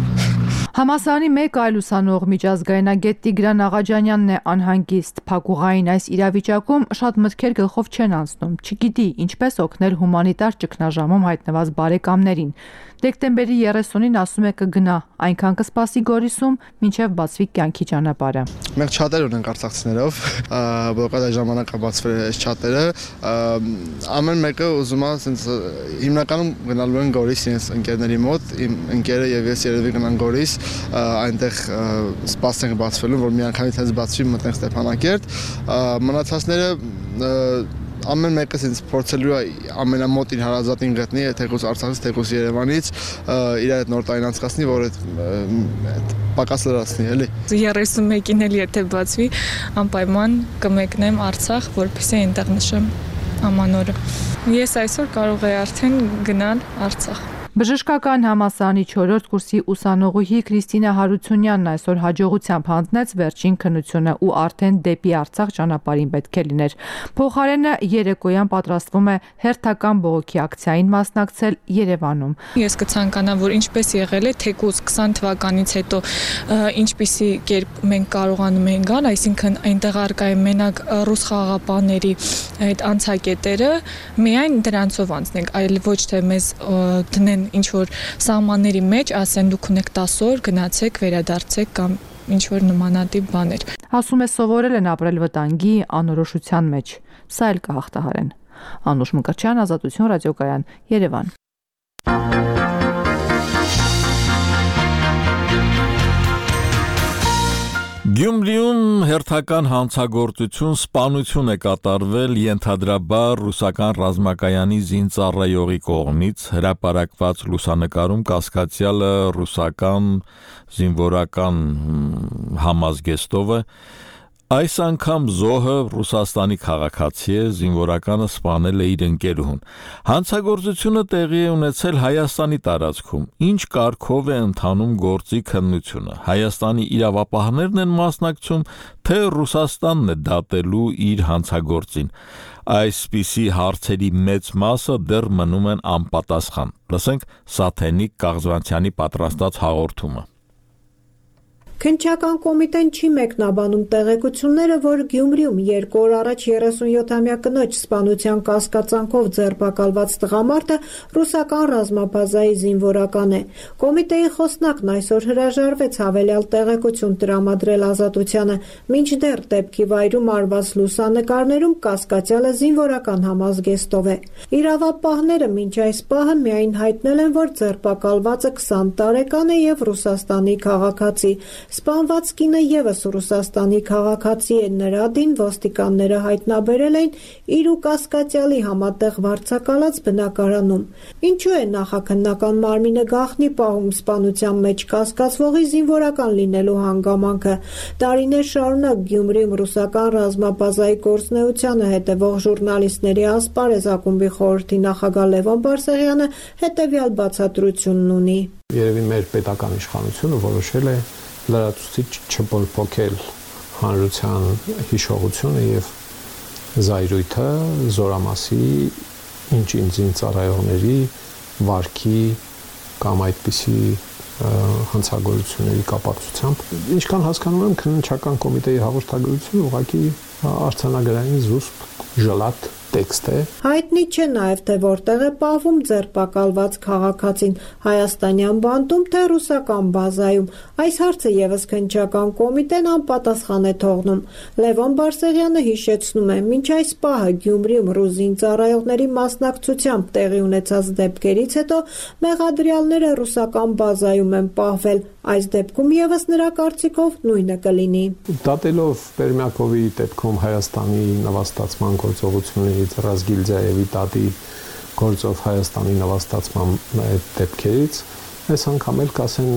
Համասարանի մեկ այլ ուսանող միջազգայնագետ Տիգրան Աղաջանյանն է անհանգիստ։ Փակուղային այս իրավիճակում շատ մտքեր գլխով չեն անցնում, չգիտի ինչպես օգնել հումանիտար ճգնաժամում հայտնված բարեկամներին։ Դեկտեմբերի երեսունին ասում է կգնա, այնքան կսպասի Գորիսում, մինչև բացվի կյանքի ճանապարհը։ Մենք չաթեր ունենք արցախցիներով, որովհետեւ այդ ժամանակ բացվել է այս չաթերը, ամեն մեկը ուզում է ասենց հիմնականում գնալու են Գորիս իրենց ընկերների մոտ, իմ ընկերը եւ ես երևի գնան Գորիս, այնտեղ սպասենք բացվելուն, որ մի անգամից հենց բացվի մտնենք Ստեփանակերտ, մնացածները ամեն մեկը ինձ փորձելու է ամենամոտ իր հարազատին գտնի, թեկուզ Արցախից, թեկուզ Երևանից, իր այդ նոր տարին անցկացնի, որ այդ պակաս լրացնի, էլի։ երեսունմեկին էլ եթե բացվի, անպայման կմեկնեմ Արցախ, որպեսզի այնտեղ նշեմ ամանորը։ Ես այսօր կարող եմ արդեն գնալ Արցախ։ Բժշկական համալսարանի չորրորդ կուրսի ուսանողուհի Քրիստինա Հարությունյանն այսօր հաջողությամբ հանձնեց վերջին քննությունը ու արդեն դեպի Արցախ ճանապարհին պետք է լիներ։ Փոխարենը երեկոյան պատրաստվում է հերթական բողոքի ակցիային մասնակցել Երևանում։ Ես կցանկանամ, որ ինչպես եղել է թեկուզ քսան թվականից հետո ինչպիսի կերպ մենք կարողանում ենք գալ, այսինքն այնտեղ արկա է մենակ ռուս խաղաղապահների այդ անցակետերը, միայն դրանցով անցնենք, այլ ոչ թե մեզ դնեն ինչ որ սահմանների մեջ ասեն դուք ունեք տասը օր գնացեք վերադարձեք կամ ինչ որ նմանատիպ բաներ։ Ասում է սովորել են ապրել վտանգի անորոշության մեջ։ Սա էլ կհաղթահարեն։ Անուշ Մկրտչյան, Ազատություն ռադիոկայան, Երևան։ Գյումրիում հերթական հանցագործություն, սպանություն է կատարվել ենթադրաբար ռուսական ռազմակայանի զինծառայողի կողմից հրապարակված լուսանկարում կասկածյալը ռուսական զինվորական համազգեստով է։ Այս անգամ զոհը Ռուսաստանի քաղաքացի է, զինվորականը սպանել է իր ընկերուհուն։ Հանցագործությունը տեղի է ունեցել Հայաստանի տարածքում։ Ինչ կարգով է ընթանում գործի քննությունը։ Հայաստանի իրավապահներն են մասնակցում, թե Ռուսաստանն է դատելու իր հանցագործին։ Այսպիսի հարցերի մեծ մասը դեռ մնում են անպատասխան։ Լսենք Սաթենիկ Կաղզվանցյանի պատրաստած հաղորդումը։ Քննչական կոմիտեն չի մեկնաբանում տեղեկությունները, որ Գյումրիում երկու օր առաջ երեսունյոթամյա կնոջ սպանության կասկածանքով ձերբակալված տղամարդը ռուսական ռազմաբազայի զինվորական է։ Կոմիտեի խոսնակն այսօր հրաժարվեց հավելյալ տեղեկություն տրամադրել Ազատությանը, մինչդեռ դեպքի վայրում արված լուսանկարներում կասկածյալը զինվորական համազգեստով է։ Իրավապահները մինչ այս պահը միայն հայտնել են, որ ձերբակալվածը քսան տարեկան է եւ Ռուսաստանի քաղաքացի։ Սպանված կինը ևս Ռուսաստանի քաղաքացի է, նրա դին ոստիկանները հայտնաբերել էին իր ու կասկածյալի համատեղ վարձակալած բնակարանում։ Ինչու է նախաքննական մարմինը գաղտնի պահում սպանության մեջ կասկածվողի զինվորական լինելու հանգամանքը։ Տարիներ շարունակ Գյումրիում ռուսական ռազմաբազայի գործունեությանը հետևող ժուրնալիստների ասպարեզ ակումբի խորհրդի նախագահ Լևոն Բարսեղյանը հետևյալ բացատրությունն ունի։ Երևի մեր պետական իշխանությունը որոշել է լրացուցիչ չփոփոխել հանրության հիշողությունը եւ զայրույթը զորամասի ինչ-ինչ զինծառայողների վարքի կամ այդպիսի հանցագործությունների կապակցությամբ։ Ինչքան հասկանում եմ, քննչական կոմիտեի հաղորդագրությունը ուղղակի արձանագրային զուսպ ժլատ տեքստ է։ Հայտնի չէ նաև թե որտեղ է պահվում ձերբակալված քաղաքացին՝ հայաստանյան բանտում թե ռուսական բազայում։ Այս հարցը եւս քննչական կոմիտեն անպատասխան է թողնում։ Լևոն Բարսեղյանը հիշեցնում է, մինչ այս պահը Գյումրիում ռուս զինծառայողների մասնակցությամբ տեղի ունեցած դեպքերից հետո մեղադրյալները ռուսական բազայում են պահվել։ Այս դեպքում եւս նրա կարծիքով նույնը կլինի։ Դատելով Պերմյակովի դեպքում Հայաստանի նվաստացման գործողություններից Ռազգիլձայևի դատի գործով Հայաստանի նվաստացման դեպքերից, այս անգամ էլ կասեն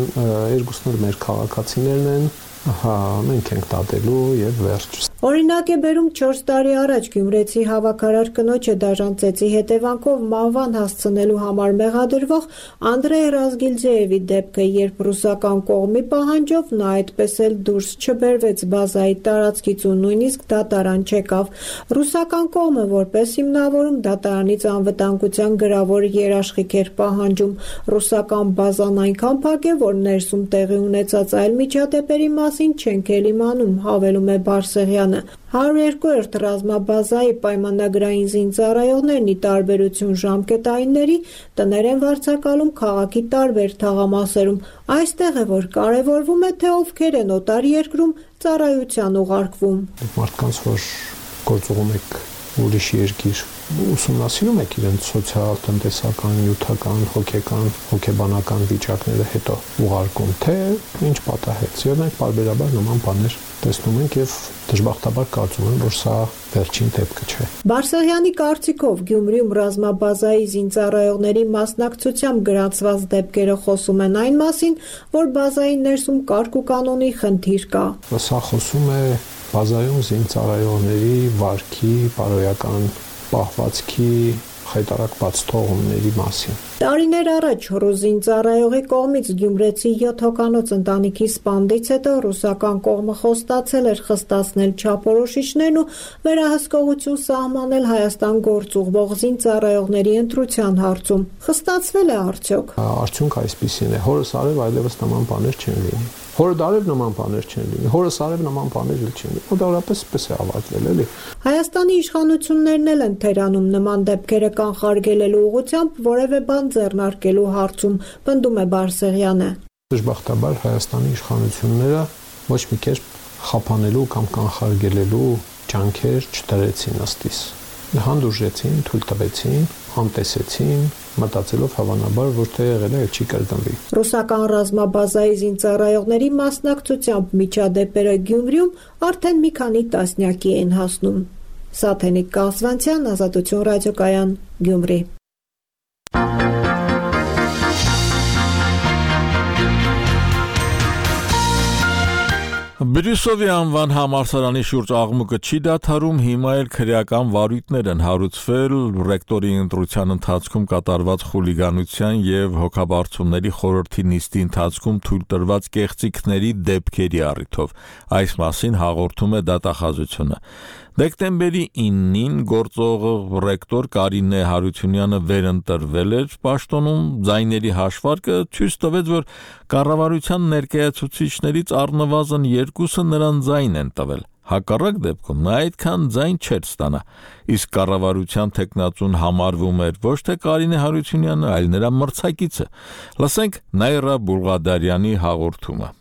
երկուսն էլ մեր քաղաքացիներն են, հա մենք ենք դատելու եւ վերջ։ Օրինակ է բերում չորս տարի առաջ Գյումրեցի հավաքարար կնոջը դաժան ծեծի հետևանքով մահվան հասցնելու համար մեղադրվող Անդրեյ Ռազգիլձեևի դեպքը, երբ ռուսական կողմի պահանջով նա այդպես էլ դուրս չբերվեց բազայի տարածքից ու նույնիսկ դատարան չեկավ։ Ռուսական կողմը որպես հիմնավորում դատարանից անվտանգության գրավոր երաշխիք էր պահանջում։ Ռուսական բազան այնքան փակ է, որ ներսում տեղի ունեցած այլ միջադեպերի մասին չենք էլ իմանում, հավելում է Բարսեղյանը։ հարյուր երկու ռազմաբազայի պայմանագրային զինծառայողներն ի տարբերություն ժամկետայինների տներ են վարձակալում քաղաքի տարբեր թաղամասերում։ Այստեղ է, որ կարևորվում է, թե ովքեր են օտար երկրում ծառայության ուղարկվում։ Մարդկանց, որ գործողում եք ուրիշ երկիր, ուսումնասիրում եք իրենց սոցիալ, տնտեսական, նյութական, հոգեկան, հոգեբանական վիճակները հետո ուղարկում, թե ինչ պատահեց։ Եվ մենք բարբերաբար նման բաներ տեսնում ենք եւ դժբախտաբար կարծում եմ, որ սա վերջին դեպքը չէ։ Բարսեղյանի կարծիքով Գյումրիում ռազմաբազայի զինծառայողների մասնակցությամբ գրանցված դեպքերը խոսում են այն մասին, որ բազայի ներսում կարգ ու կանոնի խնդիր կա։ Սա խոսում է բազայում զինծառայողների վարքի, բարոյական պահվածքի խայտարակված թողումների մասին։ Տարիներ առաջ ռուզին ծառայողի կողմից Գյումրեցի յոթ հոգանոց ընտանիքի սպանդից հետո ռուսական կողմը խոստացել էր խստացնել չափորոշիչներն ու վերահսկողություն սահմանել Հայաստան գործ ուղղող զինծառայողների ընտրության հարցում։ Խստացվել է արդյոք։ Արդյունքը այսպիսին է. հորս արև այլևս նման բաներ չեն լինի։ Հորդ արև նման բաներ չեն լինի, հորս արև նման բաներ չեն լինի։ Մոտավորապես պես է ավարտվել, էլի։ Հայաստանի իշխանություններն էլ են թերանում նման դեպքերը կանխարգելելու ուղղությամբ որևէ բան ձեռնարկելու հարցում, պնդում է Բարսեղյանը։ Դժբախտաբար Հայաստանի իշխանությունները ոչ մի կերպ խափանելու կամ կանխարգելելու ջանքեր չդրեցին ըստիս։ Հանդուրժեցին, թույլ տվեցին, անտեսեցին, մտածելով հավանաբար, որ թե եղել է, չի կրկնվի։ Ռուսական ռազմաբազայի զինծառայողների մասնակցությամբ միջադեպերը Գյումրիում արդեն մի քանի տասնյակի են հասնում։ Սաթենիկ Կասվանցյան, Ազատություն ռադիոկայան, Գյումրի։ Բրյուսովի անվան համալսարանի շուրջ աղմուկը չի դադարում, հիմա էլ քրեական վարույթներ են հարուցվել ռեկտորի ընտրության ընթացքում կատարված խուլիգանության եւ հոգաբարձությունների խորհրդի նիստի ընթացքում թույլ տրված կեղծիքների դեպքերի առիթով։ Այս մասին հաղորդում է դատախազությունը։ Դեկտեմբերի իննին գործող ռեկտոր Կարինե Հարությունյանը վերընտրվել էր պաշտոնում, ձայների հաշվարկը ցույց տվեց, որ կառավարության ներկայացուցիչներից առնվազն երկուսը նրան ձայն են տվել։ Հակառակ դեպքում նա այդքան ձայն չէր ստանա։ Իսկ կառավարության տեխնացուն համարվում էր ոչ թե Կարինե Հարությունյանը, այլ նրա մրցակիցը։ Լսենք Նայրա Բուլղադարյանի հաղորդումը։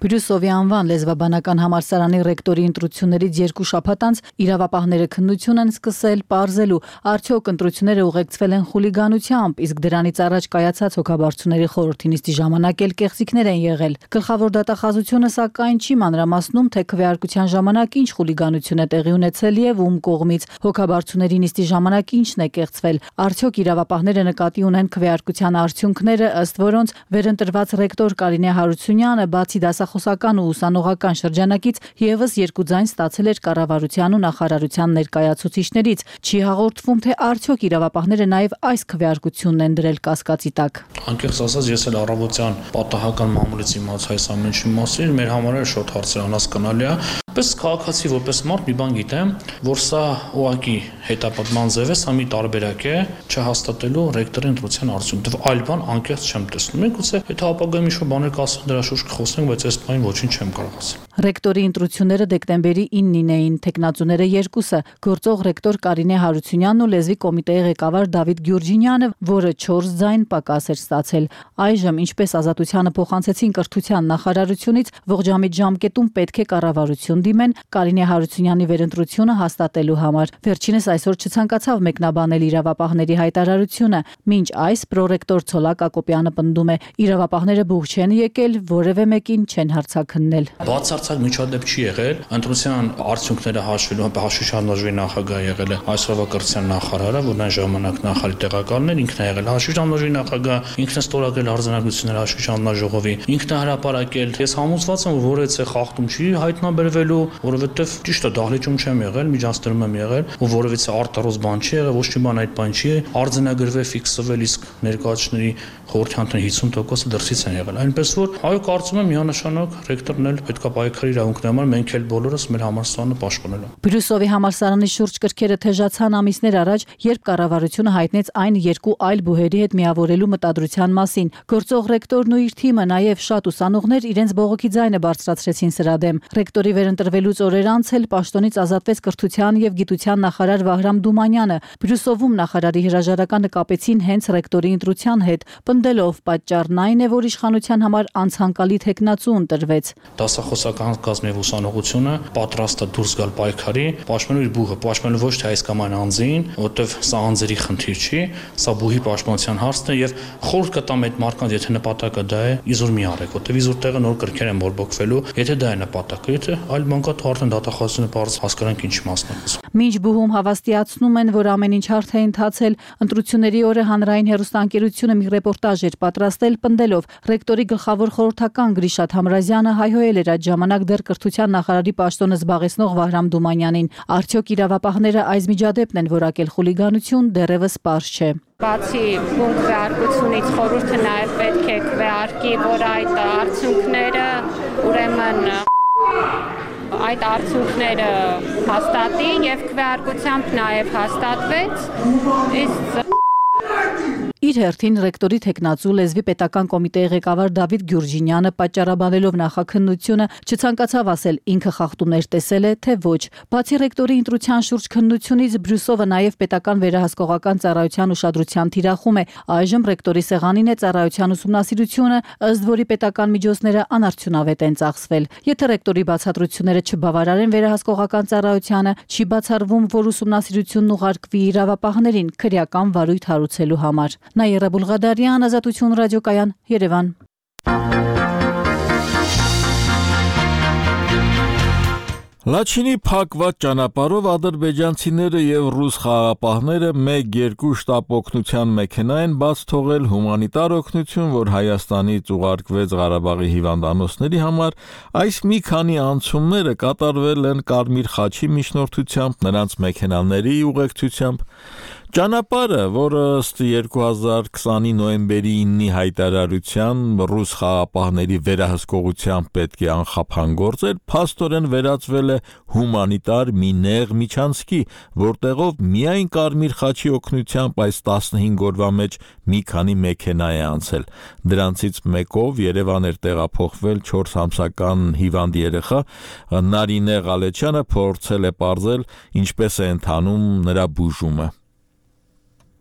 Բրյուսովի անվան լեզվաբանական համալսարանի ռեկտորի ընտրություններից երկու շաբաթ անց իրավապահները քննություն են սկսել պարզելու, արդյոք ընտրությունները ուղեկցվել են խուլիգանությամբ, իսկ դրանից առաջ կայացած հոգաբարձությունների խորհրդի նիստի ժամանակ էլ կեղծիքներ են եղել։ Գլխավոր դատախազությունը սակայն չի մանրամասնում, թե քվեարկության ժամանակ ինչ խուլիգանություն է տեղի ունեցել եւ ում կողմից, հոգաբարձությունների նիստի ժամանակ ինչն է կեղծվել։ Արդյոք իրավապահները նկատի ունեն քվեարկության արդյունքները, ըստ որոնց վերընտրված ռեկտոր Կարինե Հարությունյանը բացի դասախոսական խոսական ու ուսանողական շրջանակից եւս երկու ձայն ստացել էր կառավարության ու նախարարության ներկայացուցիչներից։ Չի հաղորդվում, թե արդյոք իրավապահները նաեւ այս քվեարկությունն են դրել կասկածի տակ։ Անկեղծ ասած, ես էլ առավոտյան պատահական մամուլից իմացա այս ամենի մասին, մեր համար էլ շոտ հարցեր անհասկանալի է։ Պես քաղաքացի, որպես մարդ մի բան գիտեմ, որ սա ուղղակի հետապնդման ձև է, սա մի տարբերակ է չհաստատելու ռեկտորի ընտրության արդյունքը։ Այլ բան անկեղծ չեմ տեսնում։ Մենք ուղղակի եթե ապագայում ինչ-որ բաներ կասեն, դրա շուրջ կխոսենք, բայց այս բանին ոչինչ չեմ կարող ասել։ Ռեկտորի ընտրությունները դեկտեմբերի իննին էին, տեխնացուները երկուսը, գործող ռեկտոր Կարինե Հարությունյանն ու լեզվի կոմիտեի ղեկավար Դավիթ Գյուրջինյանը, որը չորս ձայն պակաս էր ստացել։ Այժմ, ինչպես Ազատությանը փոխանցեցին կրթության նախարարությունից, ողջամիտ ժամկետում պետք է կառավարություն հանդիմ են Կարինե Հարությունյանի վերընտրությունը հաստատելու համար։ Վերջինս այսօր չցանկացավ մեկնաբանել իրավապահների հայտարարությունը, մինչ այս պրոռեկտոր Ցոլակ Ակոպյանը պնդում է, իրավապահները բուխ չեն եկել, որևէ մեկին չեն հարցաքննել։ Բացարձակ միջադեպ չի եղել, ընտրության արդյունքները հաշվելու հաշվիչական լոժի նախագահ եղել է այսօրվա կրթության նախարարը, որն այն ժամանակ նախարարի տեղակալն էր, ինքն է եղել հաշվիչական լոժի նախագահ, ինքն է ստորագրել արձանագրությունները հաշվիչական լոժողովի, ինքն է հրապարակել։ Ես համոզված եմ, որ որևէ խախտում չի հայտնաբերվելու, որովհետև ճիշտ է, դահլիճում չեմ եղել, միջանցքում եմ եղել, ու որևէ արտարոց բան չի եղել, ոչ մի բան այդ բան չի, արձանագրվել, ֆիքսվել, իսկ ներկայացուցիչների խորհրդանիշի հիսուն տոկոսը դրսից են եղել։ Այնպես որ այո, կարծում եմ միանշանակ ռեկտորն էլ պետք է պայքարի իրավունքների համար, մենք էլ բոլորս մեր համալսարանը պաշտպանելու։ Բրյուսովի համալսարանի շուրջ կրքերը թեժացան ամիսներ առաջ, երբ կառավարությունը հայտնեց այն երկու այլ բուհերի հետ միավորելու մտադրության մասին։ Գործող ռեկտորն ու իր թիմը, նաև շատ ուսանողներ իրենց բողոքի ձայնը բարձրացրեցին սրա դեմ։ Ռեկտորի վերընտրվելուց օրեր անց էլ պաշտոնից ազատվեց կրթության եւ գիտության նախարար Վահրամ Դումանյանը։ Բրյուսովում նախարարի հրաժարականը կապեցին հենց ռեկտորի ընտրության հետ, պնդելով պատճառն այն է, որ իշխանության համար անցանկալի թեկնածու ընտրվեց։ Դասախոսական կազմի ուսանողությունը պատրաստ է դուրս գալ պայքարի, պաշտպանելու իր բուհը, պաշտպանելու ոչ թե այս կամ այն անձին, որտեվ սա անձերի խնդիր չի, սա բուհի պաշտպանության հարցն է եւ խորհուրդ կտամ այդ մարդկանց, եթե նպատակը դա է, իզուր մի արեք, որտեվ իզուր տեղը նոր կրքեր են բորբոքվելու, եթե դա է նպատակը, եթե այլ բան կա, արդեն դատախազությունը բարձ հասկանանք ինչ մասն է։ Մինչ բուհում հավաստիացնում են, որ ամեն ինչ հարթ է ընթացել, ընտրությունների օրը հանրային հեռուստաընկերությունը մի ռեպորտաժ էր պատրաստել, պնդելով ռեկտորի գլխավոր խորհրդական Գրիշատ Համրազյանը հայհոյել էր այդ ժամանակ դեռ կրթության նախարարի պաշտոնը զբաղեցնող Վահրամ Դումանյանին։ Արդյոք իրավապահները այս միջադեպն են որակել խուլիգանություն, դեռևս պարզ չէ։ Բացի բուն քվեարկությունից խորհուրդը նաև պետք է քվեարկի, որ այդ արդյունքները ուրեմն այդ արդյունքները հաստատի եւ քվեարկությամբ նաև հաստատվեց, իսկ Իր հերթին ռեկտորի թեկնածու լեզվի պետական կոմիտեի ղեկավար Դավիթ Գյուրջինյանը պատճառաբանելով նախաքննությունը չցանկացավ ասել ինքը խախտումներ տեսել է, թե ոչ։ Բացի ռեկտորի ընտրության շուրջ քննությունից Բրյուսովը նաև պետական վերահսկողական ծառայության ուշադրության թիրախում է։ Այժմ ռեկտորի սեղանին է ծառայության ուսումնասիրությունը, ըստ որի պետական միջոցները անարդյունավետ են ծախսվել։ Եթե ռեկտորի բացատրությունները չբավարարեն վերահսկողական ծառայությանը, չի բացառվում, որ ուսումնասիրությունն ուղարկվի իրավապահներին քրեական վարույթ հարուցելու համար։ Նաիրա Բուլղադարյան, Ազատություն ռադիոկայան, Երևան։ Լաչինի փակված ճանապարհով ադրբեջանցիները եւ ռուս խաղաղապահները մեկ երկու շտապ օգնության մեքենա են բաց թողել հումանիտար օգնություն, որ Հայաստանից ուղարկվեց Ղարաբաղի հիվանդանոցների համար, այս մի քանի անցումները կատարվել են Կարմիր խաչի միջնորդությամբ, նրանց մեքենաների ուղեկցությամբ։ Ճանապարհը, որը ըստ երկու հազար քսանի նոյեմբերի իննի հայտարարության ռուս խաղաղապահների վերահսկողությամբ պետք է անխափան գործեր, փաստորեն վերածվել է հումանիտար մի նեղ միջանցքի, որտեղով միայն Կարմիր խաչի օգնությամբ այս տասնհինգ օրվա մեջ մի քանի մեքենա է անցել։ Դրանցից մեկով Երևան էր տեղափոխվել չորս ամսական հիվանդ երեխա, Նարինե Ղալեչյանը փորձել է պարզել, ինչպես է ընթանում նրա բուժումը։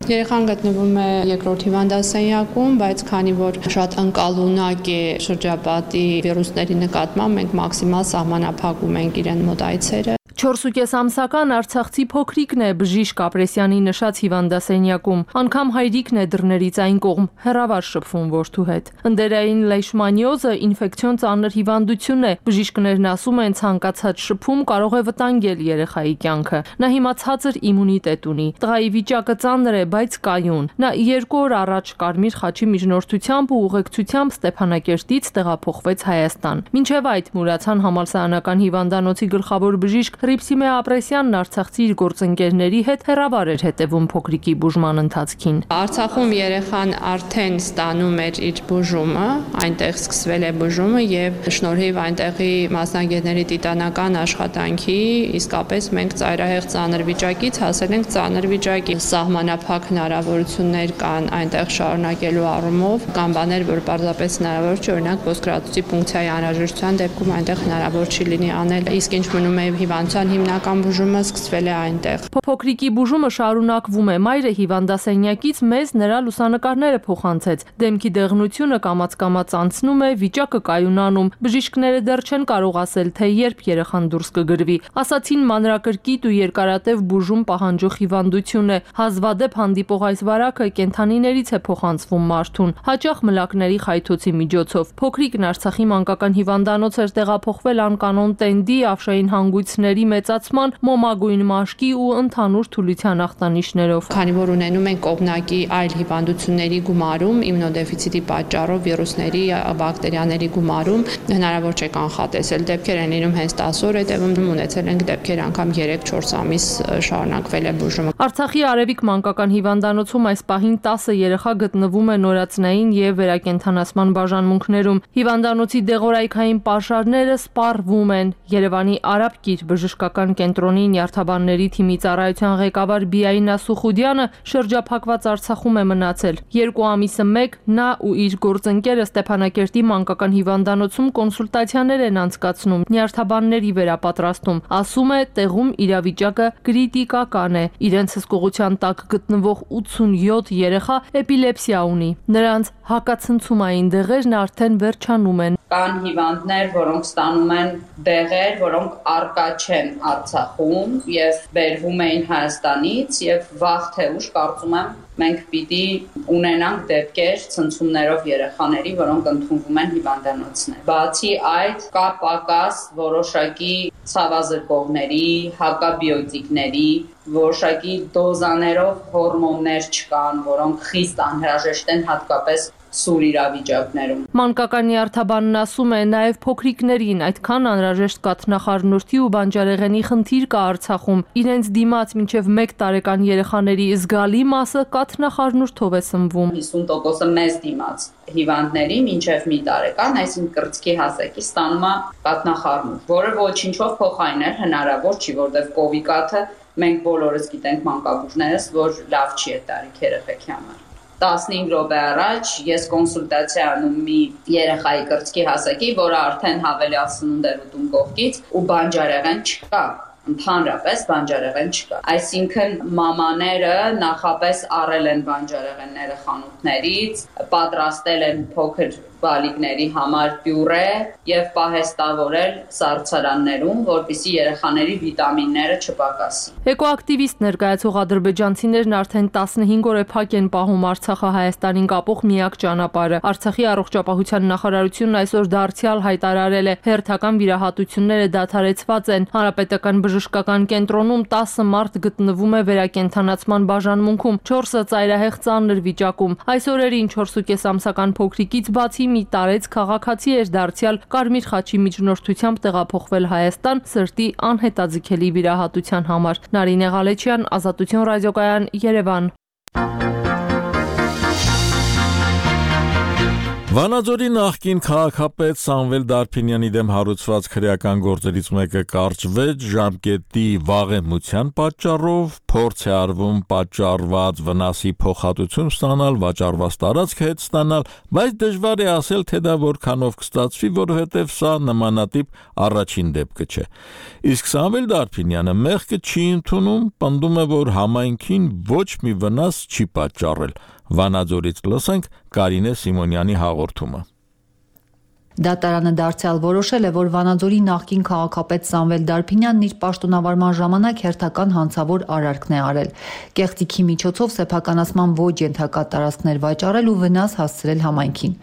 Երեխան գտնվում է երկրորդ հիվանդասենյակում, բայց քանի որ շատ ընկալունակ է շրջապատի վիրուսների նկատմամբ, մենք մաքսիմալ սահմանափակում ենք իրեն մոտ այցերը։ չորս ու կես ամսական արցախցի փոքրիկն է Բժիշկ Ապրեսյանի նշած հիվանդասենյակում, անգամ հայրիկն է դռներից այն կողմ հեռավար շփվում որդու հետ։ Ընդերային լեյշմանիոզը ինֆեկցիոն ծանր հիվանդություն է, բժիշկներն ասում են ցանկացած շփում կարող է վտանգել երեխայի կյանքը։ Նա հիմա ցածր իմունիտետ ունի, տղայի վիճակը ծանր է, բայց կայուն։ Նա երկու օր առաջ Կարմիր խաչի միջնորդությամբ ու ուղեկցությամբ Ստեփանակերտից տեղափոխվեց Հայաստան։ Մինչև այդ Մուրացան համալսարանական հիվանդանոցի գլխավոր բժիշկ Հռիփսիմե Ապրեսյանն արցախցի իր գործընկերների հետ հեռավար էր հետևում փոքրիկի բուժման ընթացքին։ Արցախում երեխան արդեն ստանում էր իր բուժումը, այնտեղ սկսվել է բուժումը եւ շնորհիվ այնտեղի մասնագետների տիտանական աշխատանքի իսկապես մենք ծայրահեղ ծանր վիճակից հասել ենք ծանր վիճակի։ Սահմանափակ հնարավորություններ կան այնտեղ շարունակելու առումով, կան բաներ, որ պարզապես հնարավոր չէ, օրինակ ոսկրածուծի պունկցիայի անհրաժեշտության դեպքում այնտեղ հնարավոր չի լինի անել, իսկ ինչ մնում է հիվանդ սպանության հիմնական բուժումը սկսվել է այնտեղ։ Փոքրիկի բուժումը շարունակվում է։ Մայրը հիվանդասենյակից մեզ նրա լուսանկարները փոխանցեց։ Դեմքի դեղնությունը կամաց-կամաց անցնում է, վիճակը կայունանում։ Բժիշկները դեռ չեն կարող ասել, թե երբ երեխան դուրս կգրվի։ Ասացին մանրակրկիտ ու երկարատև բուժում պահանջող հիվանդություն է։ Հազվադեպ հանդիպող այս վարակը կենդանիներից է փոխանցվում մարդուն, հաճախ մլակների խայթոցի միջոցով։ Փոքրիկն Արցախի մանկական հիվանդանոց էր տեղափոխվել անկանոն տենդի, ավշային հանգույցների մեծացման, մոմագույն մաշկի ու ընդհանուր թուլության ախտանիշներով։ Քանի որ ունենում են կողմնակի այլ հիվանդությունների գումարում, իմունոդեֆիցիտի պատճառով վիրուսների, բակտերիաների գումարում հնարավոր չէ կանխատեսել։ Դեպքեր են լինում հենց տասը օր հետևում, ունեցել ենք դեպքեր անգամ երեք-չորս ամիս շարունակվել է բուժումը։ Արցախի Արևիկ մանկական հիվանդանոցում այս պահին տասը երեխա գտնվում է նորածնային եւ վերակենդանացման բաժանմունքներում։ Հիվանդանոցի դեղորայքային պաշարները սպառվում են։ Երևանի Արաբկիր բժշկական կենտրոնի նյարդաբանների թիմի ծառայության ղեկավար Բիայնա Սուխուդյանը շրջափակված Արցախում է մնացել։ Երկու ամիսը մեկ նա ու իր գործընկերը Ստեփանակերտի մանկական հիվանդանոցում կոնսուլտացիաներ են անցկացնում, նյարդաբանների վերապատրաստում։ Ասում է, տեղում իրավիճակը կրիտիկական է։ Իրենց հսկողության տակ գտնվող ութսունյոթ երեխա էպիլեպսիա ունի։ Նրանց հակացնցումային դեղերն արդեն վերջանում են։ Կան հիվանդներ, որոնք ստանում են դեղեր, որոնք առկա չեն Արցախում եւ բերվում էին Հայաստանից եւ վաղ թե ուշ կարծում եմ մենք պիտի ունենանք դեպքեր ցնցումներով երեխաների, որոնք ընդունվում են հիվանդանոցներ։ Բացի այդ, կա պակաս որոշակի ցավազրկողների, հակաբիոտիկների, որոշակի դոզաներով հորմոններ չկան, որոնք խիստ անհրաժեշտ են հատկապես սուր իրավիճակներում։ Մանկական նյարդաբանն ասում է, նաև փոքրիկներին այդքան անհրաժեշտ կաթնախառնուրդի ու բանջարեղենի խնդիր կա Արցախում։ Իրենց դիմաց մինչև մեկ տարեկան երեխաների զգալի մասը կաթնախառնուրդով է սնվում։ հիսուն տոկոսը մեզ դիմաց հիվանդների մինչև մի տարեկան, այսինքն կրծքի հասակի ստանում է կաթնախառնուրդ, որը ոչինչով փոխարինել հնարավոր չի, որտեղ կովիկաթը մենք բոլորս գիտենք մանկաբույժներս, որ լավ չի այդ տարիք երեխեքի համար։ տասնհինգ րոպե առաջ ես կոնսուլտացիա անում մի երեխայի կրծքի հասակի, որը արդեն հավելյալ սնունդ էր ուտում կողքից ու բանջարեղեն չկա, ընդհանրապես բանջարեղեն չկա։ Այսինքն մամաները նախապես առել են բանջարեղենները խանութներից, պատրաստել են փոքր բալիկների համար պյուրե եւ պահեստավորել սառցարաններում, որպեսզի երեխաների վիտամինները չպակասի։ Էկոակտիվիստ ներկայացող ադրբեջանցիներն արդեն տասնհինգ օր է փակ են պահում Արցախը Հայաստանին կապող միակ ճանապարհը։ Արցախի առողջապահության նախարարությունն այսօր դարձյալ հայտարարել է, հերթական վիրահատությունները դադարեցված են։ Հանրապետական բժշկական կենտրոնում տասը մարդ գտնվում է վերակենդանացման բաժանմունքում, չորսը ծայրահեղ ծանր վիճակում։ Այս օրերին չորսուկես ամսական փոքրիկից բացի մի տարեց քաղաքացի էր դարձյալ Կարմիր խաչի միջնորդությամբ տեղափոխվել Հայաստան սրտի անհետաձգելի վիրահատության համար։ Նարինե Ղալեչյան, Ազատություն ռադիոկայան, Երևան։ Վանաձորի նախկին քաղաքապետ Սամվել Դարփինյանի դեմ հարուցված քրեական գործերից մեկը կարճվեց ժամկետի վաղեմության պատճառով, փորձ է արվում պատճառված վնասի փոխհատուցում ստանալ, վաճառված տարածք հետ ստանալ, բայց դժվար է ասել, թե դա որքանով կստացվի, որովհետև սա նմանատիպ առաջին դեպքը չէ։ Իսկ Սամվել Դարփինյանը մեղքը չի ընդունում, պնդում է, որ համայնքին ոչ մի վնաս չի պատճառել։ Վանաձորից լսենք Կարինե Սիմոնյանի հաղորդումը։ Դատարանը դարձյալ որոշել է, որ Վանաձորի նախկին քաղաքապետ Սամվել Դարփինյանն իր պաշտոնավարման ժամանակ հերթական հանցավոր արարքն է արել։ Կեղծիքի միջոցով սեփականացման ոչ ենթակա տարածքներ վաճառել ու վնաս հասցրել համայնքին։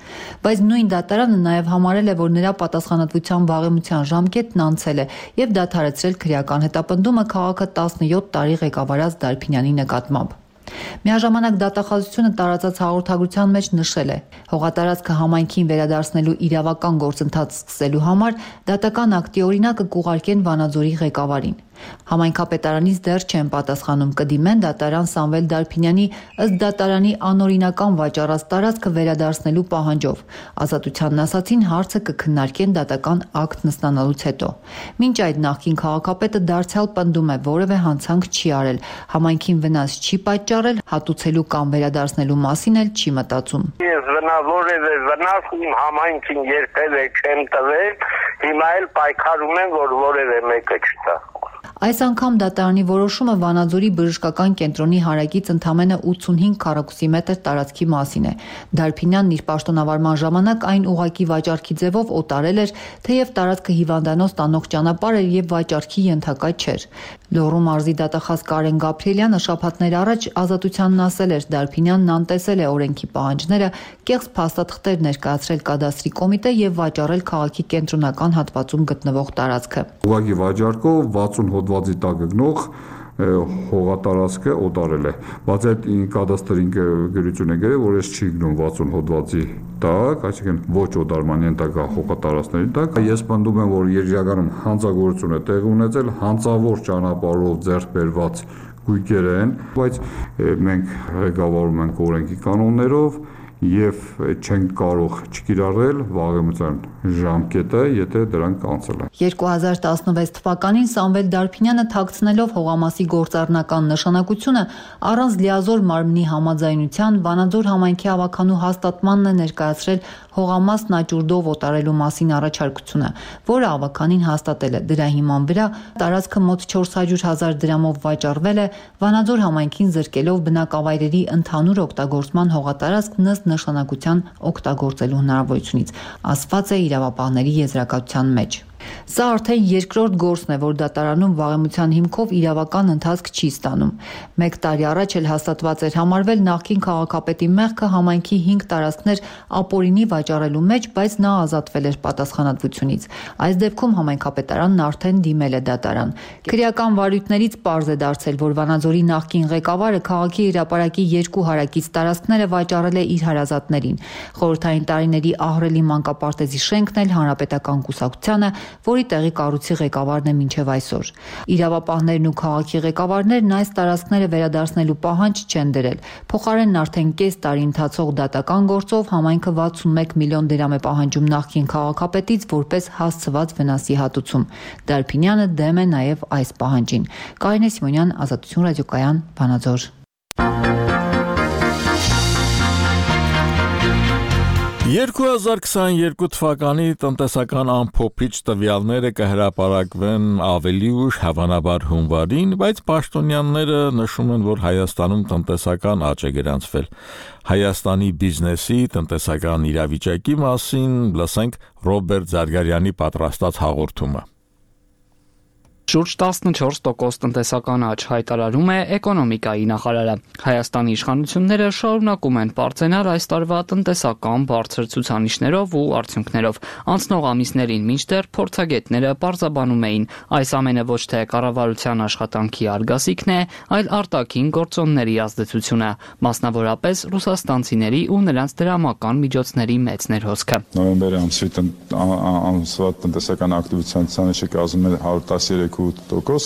Բայց նույն դատարանը նաև համարել է, որ նրա պատասխանատվության վաղեմության ժամկետն անցել է եւ դադարեցրել քրեական հետապնդումը քաղաքը տասնյոթ տարի ղեկավարած Դարփինյանի նկատմամբ։ Միաժամանակ դատախազությունը տարածած հաղորդագրության մեջ նշել է. հողատարածքը համայնքին վերադարձնելու իրավական գործընթաց սկսելու համար դատական ակտի օրինակը կուղարկեն Վանաձորի ղեկավարին։ Համայնքապետարանից դեռ չեն պատասխանում, կդիմեն դատարան Սամվել Դարփինյանի ըստ դատարանի անօրինական վաճառած տարածքը վերադարձնելու պահանջով։ Ազատությանն ասացին, հարցը կքննարկեն դատական ակտ նստանալուց հետո։ Մինչ այդ նախկին քաղաքապետը դարձյալ պնդում է, որևէ հանցանք չի արել, համայնքին վնաս չի պատճառել, հատուցելու կամ վերադարձնելու մասին էլ չի մտածում։ Ես որևէ վնաս իմ համայնքին երբևէ չեմ տվել, հիմա էլ պայքարում եմ, որ որևէ մեկը չտա։ Այս անգամ դատարանի որոշումը Վանաձորի բժշկական կենտրոնի հարակից ընդամենը ութսունհինգ քառակուսի մետր տարածքի մասին է։ Դարփինյանն իր պաշտոնավարման ժամանակ այն ուղակի վաճառքի ձևով օտարել էր, թեև տարածքը հիվանդանոց տանող ճանապարհ էր եւ վաճառքի ենթակա չէր։ Լոռու մարզի դատախազ Կարեն Գաբրիելյանը շաբաթներ առաջ Ազատությանն ասել էր, Դարփինյանն անտեսել է օրենքի պահանջները, կեղծ փաստաթղթեր ներկայացրել կադաստրի կոմիտե եւ վաճառել քաղաքի կենտրոնական հատվածում գտնվող տարածքը։ Ուղղակի վաճառքով վաթսուն հոդվածի տակ գնող հողատարածքը օտարել է։ Բայց այդ կադաստրին գրություն է գրել, որ ես չի գնում վաթսուն հոդվածի տակ, այսինքն ոչ օտարման ենթակա հողատարածքների տակ։ Ես պնդում եմ, որ երաժշտականում հանցագործություն է տեղի ունեցել, հանցավոր ճանապարհով ձեռք բերված գույքեր են, բայց մենք ղեկավարում ենք օրենքի կանոններով եւ չենք կարող չկիրառել վաղեմության ժամկետը, եթե դրանք անցել են։ երկու հազար տասնվեց թվականին Սամվել Դարփինյանը թաքցնելով հողամասի գործառնական նշանակությունը առանց լիազոր մարմնի համաձայնության Վանաձոր համայնքի ավականու հաստատմանն է ներկայացրել հողամասն աճուրդով օտարելու մասին առաջարկությունը, որը ավականին հաստատել է։ Դրա հիման վրա տարածքը մոտ չորս հարյուր հազար դրամով վաճառվել է, Վանաձոր համայնքին զրկելով բնակավայրերի ընդհանուր օգտագործման հողատարածք ըստ նշանակության օգտագործելու հնարավորությունից, ասված է իրավապահների եզրակացության մեջ։ Սա արդեն երկրորդ գործն է, որ դատարանում վաղեմության հիմքով իրավական ընթացք չի ստանում։ Մեկ տարի առաջ էլ հաստատված էր համարվել նախկին քաղաքապետի մեղքը համայնքի հինգ տարածքներ ապօրինի վաճառելու մեջ, բայց նա ազատվել էր պատասխանատվությունից։ Այս դեպքում համայնքապետարանն արդեն դիմել է դատարան։ Քրեական վարույթներից պարզ է դարձել, որ Վանաձորի նախկին ղեկավարը քաղաքի հրապարակի երկու հարակից տարածքները վաճառել է իր հարազատներին։ Խորհրդային տարիների ահռելի մանկապարտեզի շենքն էլ հանրապետական կուսակցությանը, որի տեղի կառույցի ղեկավարն է մինչև այսօր։ Իրավապահներն ու քաղաքի ղեկավարներն այս տարածքները վերադարձնելու պահանջ չեն դրել։ Փոխարենն արդեն կես տարի ընթացող դատական գործով համայնքը վաթսունմեկ միլիոն դրամ է պահանջում նախկին քաղաքապետից որպես հասցված վնասի հատուցում։ Դարփինյանը դեմ է նաև այս պահանջին։ Կարինե Սիմոնյան, Ազատություն ռադիոկայան, Վանաձոր։ երկու հազար քսաներկու թվականի տնտեսական ամփոփիչ տվյալները կհրապարակվեն ավելի ուշ, հավանաբար հունվարին, բայց պաշտոնյաները նշում են, որ Հայաստանում տնտեսական աճ է գրանցվել։ Հայաստանի բիզնեսի տնտեսական իրավիճակի մասին լսենք Ռոբերտ Զարգարյանի պատրաստած հաղորդումը։ Շուրջ տասնչորս տոկոս տնտեսական աճ հայտարարում է էկոնոմիկայի նախարարը։ Հայաստանի իշխանությունները շարունակում են բարձրանալ այս տարվա տնտեսական բարձր ցուցանիշներով ու արդյունքներով։ Անցնող ամիսներին մինչդեռ փորձագետները պարզաբանում էին, այս ամենը ոչ թե կառավարության աշխատանքի արգասիքն է, այլ արտաքին գործոնների ազդեցությունը, մասնավորապես ռուսաստանցիների ու նրանց դրամական միջոցների մեծ ներհոսքը։ Նոյեմբերի ամսի ամսվա տնտեսական ակտիվության ցուցանիշը կազմում է հարյուր տասներեք տոկոս,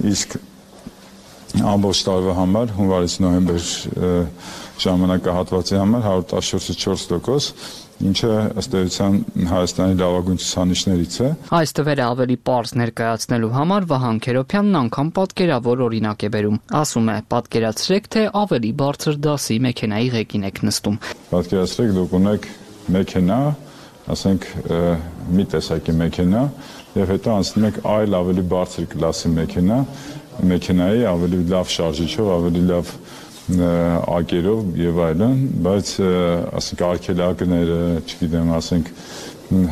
իսկ ամբողջ տարվա համար հունվարից նոյեմբեր ժամանակահատվածի համար հարյուր տասնչորսից չորս տոկոս, ինչը ըստ էության Հայաստանի լավագույն ցուցանիշներից է։ Այս թվերը ավելի պարզ ներկայացնելու համար Վահան Քերոփյանն անգամ պատկերավոր օրինակ է բերում։ Ասում է, պատկերացրեք, թե ավելի բարձր դասի մեքենայի ղեկին եք նստում։ Պատկերացրեք, դուք ունեք մեքենա, ասենք մի տեսակի մեքենա, եւ հետո անցնում եք այլ ավելի բարձր կլասի մեքենա, մեքենայի ավելի լավ շարժիչով, ավելի լավ ակերով եւ այլն, բայց ասենք արգելակները, չգիտեմ, ասենք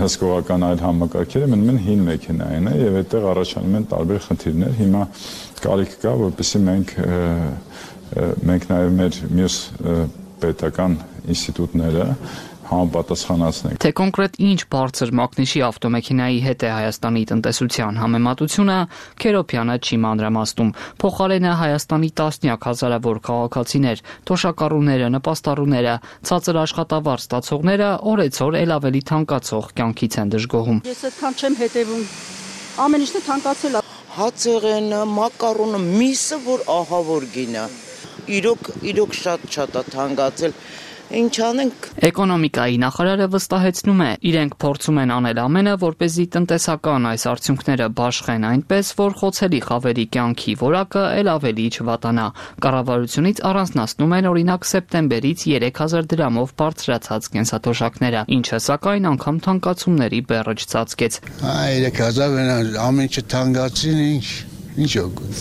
հսկողական այլ համակարգերը մնում են հին մեքենային է եւ այդտեղ առաջանում են տարբեր խնդիրներ։ Հիմա կարիք կա, որպեսզի մենք մենք նաեւ մեր մյուս պետական ինստիտուտները համապատասխանացնենք։ Թե կոնկրետ ինչ բարձր մակնիշի ավտոմեքենայի հետ է Հայաստանի տնտեսության համեմատությունը, Քերոփյանը չի մանրամասնում։ Փոխարենը Հայաստանի տասնյակ հազարավոր քաղաքացիներ, թոշակառուները, նպաստառուները, ցածր աշխատավարձ ստացողները օրեցօր ել ավելի թանկացող կյանքից են դժգոհում։ Ես այդքան չեմ հետևում։ Ամեն ինչն է թանկացել։ Հացեղենը, մակարոնը, միսը, որ ահա որ գինը։ Իրոք, իրոք շատ-շատ է թանկացել։ Ինչ անենք։ Էկոնոմիկայի նախարարը վստահեցնում է, իրենք փորձում են անել ամենը, որպեսզի տնտեսական այս արդյունքները բաշխեն այնպես, որ խոցելի խավերի կյանքի որակը ել ավելի չվատանա։ Կառավարությունից առանձնացնում են օրինակ սեպտեմբերից երեք հազար դրամով բարձրացած կենսաթոշակները, ինչը սակայն անգամ թանկացումների բեռը չծածկեց։ երեք հազար ամեն ինչ թանկացին, ինչ ինչ օգուտ։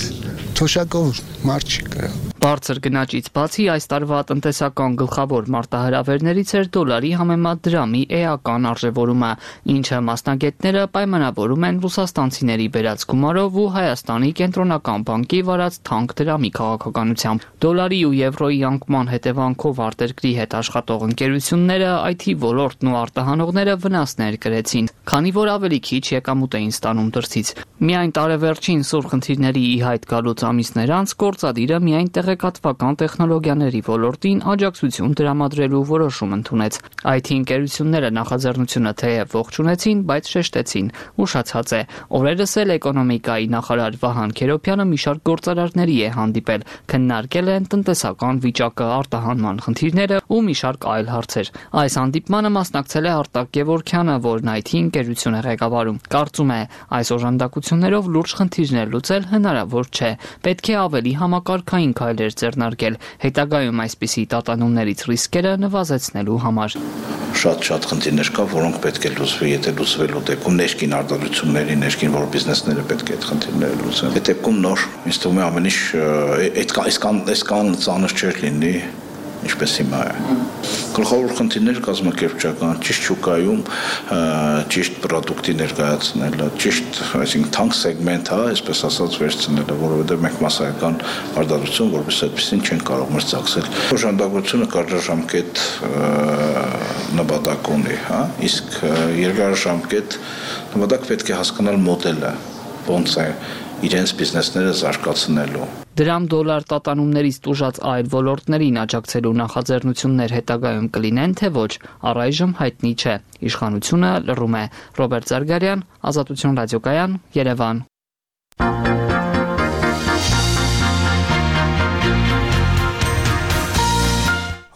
Թոշակով մարդ չկա։ Բարձր գնաճից բացի այս տարվա տնտեսական գլխավոր մարտահրավերներից էր դոլարի համեմատ դրամի էական արժևորումը, ինչը մասնագետները պայմանավորում են ռուսաստանցիների բերած գումարով ու Հայաստանի կենտրոնական բանկի վարած թանկ դրամի քաղաքականությամբ։ Դոլարի ու եվրոյի անկման հետևանքով արտերկրի հետ աշխատող ընկերությունները, այ թի ոլորտն ու արտահանողները վնասներ կրեցին, քանի որ ավելի քիչ եկամուտ էին ստանում դրսից։ Միայն տարեվերջին սուր խնդիրների ի հայտ գալուց ամիսներ անց գործադիրը միայն տեղեկատվական տեխնոլոգիաների ոլորտին աջակցություն տրամադրելու որոշում ընդունեց։ այ թի ընկերությունները նախաձեռնությունը թեև ողջունեցին, բայց շեշտեցին, ուշացած է, օրերս էլ էկոնոմիկայի նախարար Վահան Քերոբյանը մի շարք գործարարների է հանդիպել, քննարկել են տնտեսական վիճակը, արտահանման խնդիրները ու մի շարք այլ հարցեր։ Այս հանդիպմանը մասնակցել է Արտակ Գևորգյանը, որն այ թի ընկերություն է ղեկավարում։ Կարծում է, այս օժանդակություններով լուրջ խնդիրներ լուծել հնարավոր չէ, պետք է ավելի համակարգային քայլեր ձեռնարկել, հետագայում այսպիսի տատանումներից ռիսկերը նվազեցնելու համար։ Շատ-շատ խնդիրներ կա, որոնք պետք է լուծվի, եթե լուծվելու դեպքում ներքին արտադրությունների, ներքին որ բիզնեսները պետք է այդ խնդիրները լուծեն։ Այդ դեպքում նոր, ինձ թվում է ամեն ինչ այդքան այսքան ծանր չէր լինի, ինչպես հիմա է։ Գլխավոր խնդիրները կազմակերպչական, ճիշտ շուկայում ճիշտ պրոդուկտի ներկայացնելը, ճիշտ, այսինքն թանկ սեգմենտ, հա, այսպես ասած վերցնելը, որովհետև մենք մասսայական արտադրություն, որպես այդպեսին չեն կարող մրցակցել։ Օժանդակությունը կարճաժամկետ նպատակ ունի, հա, իսկ երկարաժամկետ նպատակ պետք է հասկանալ մոդելը, ոնց է իրենց բիզնեսները զարգացնելու։ Դրամ դոլար տատանումներից տուժած այլ ոլորտներին աջակցելու նախաձեռնություններ հետագայում կլինեն, թե ոչ, առայժմ հայտնի չէ։ Իշխանությունը լռում է։ Ռոբերտ Զարգարյան, Ազատություն ռադիոկայան, Երևան։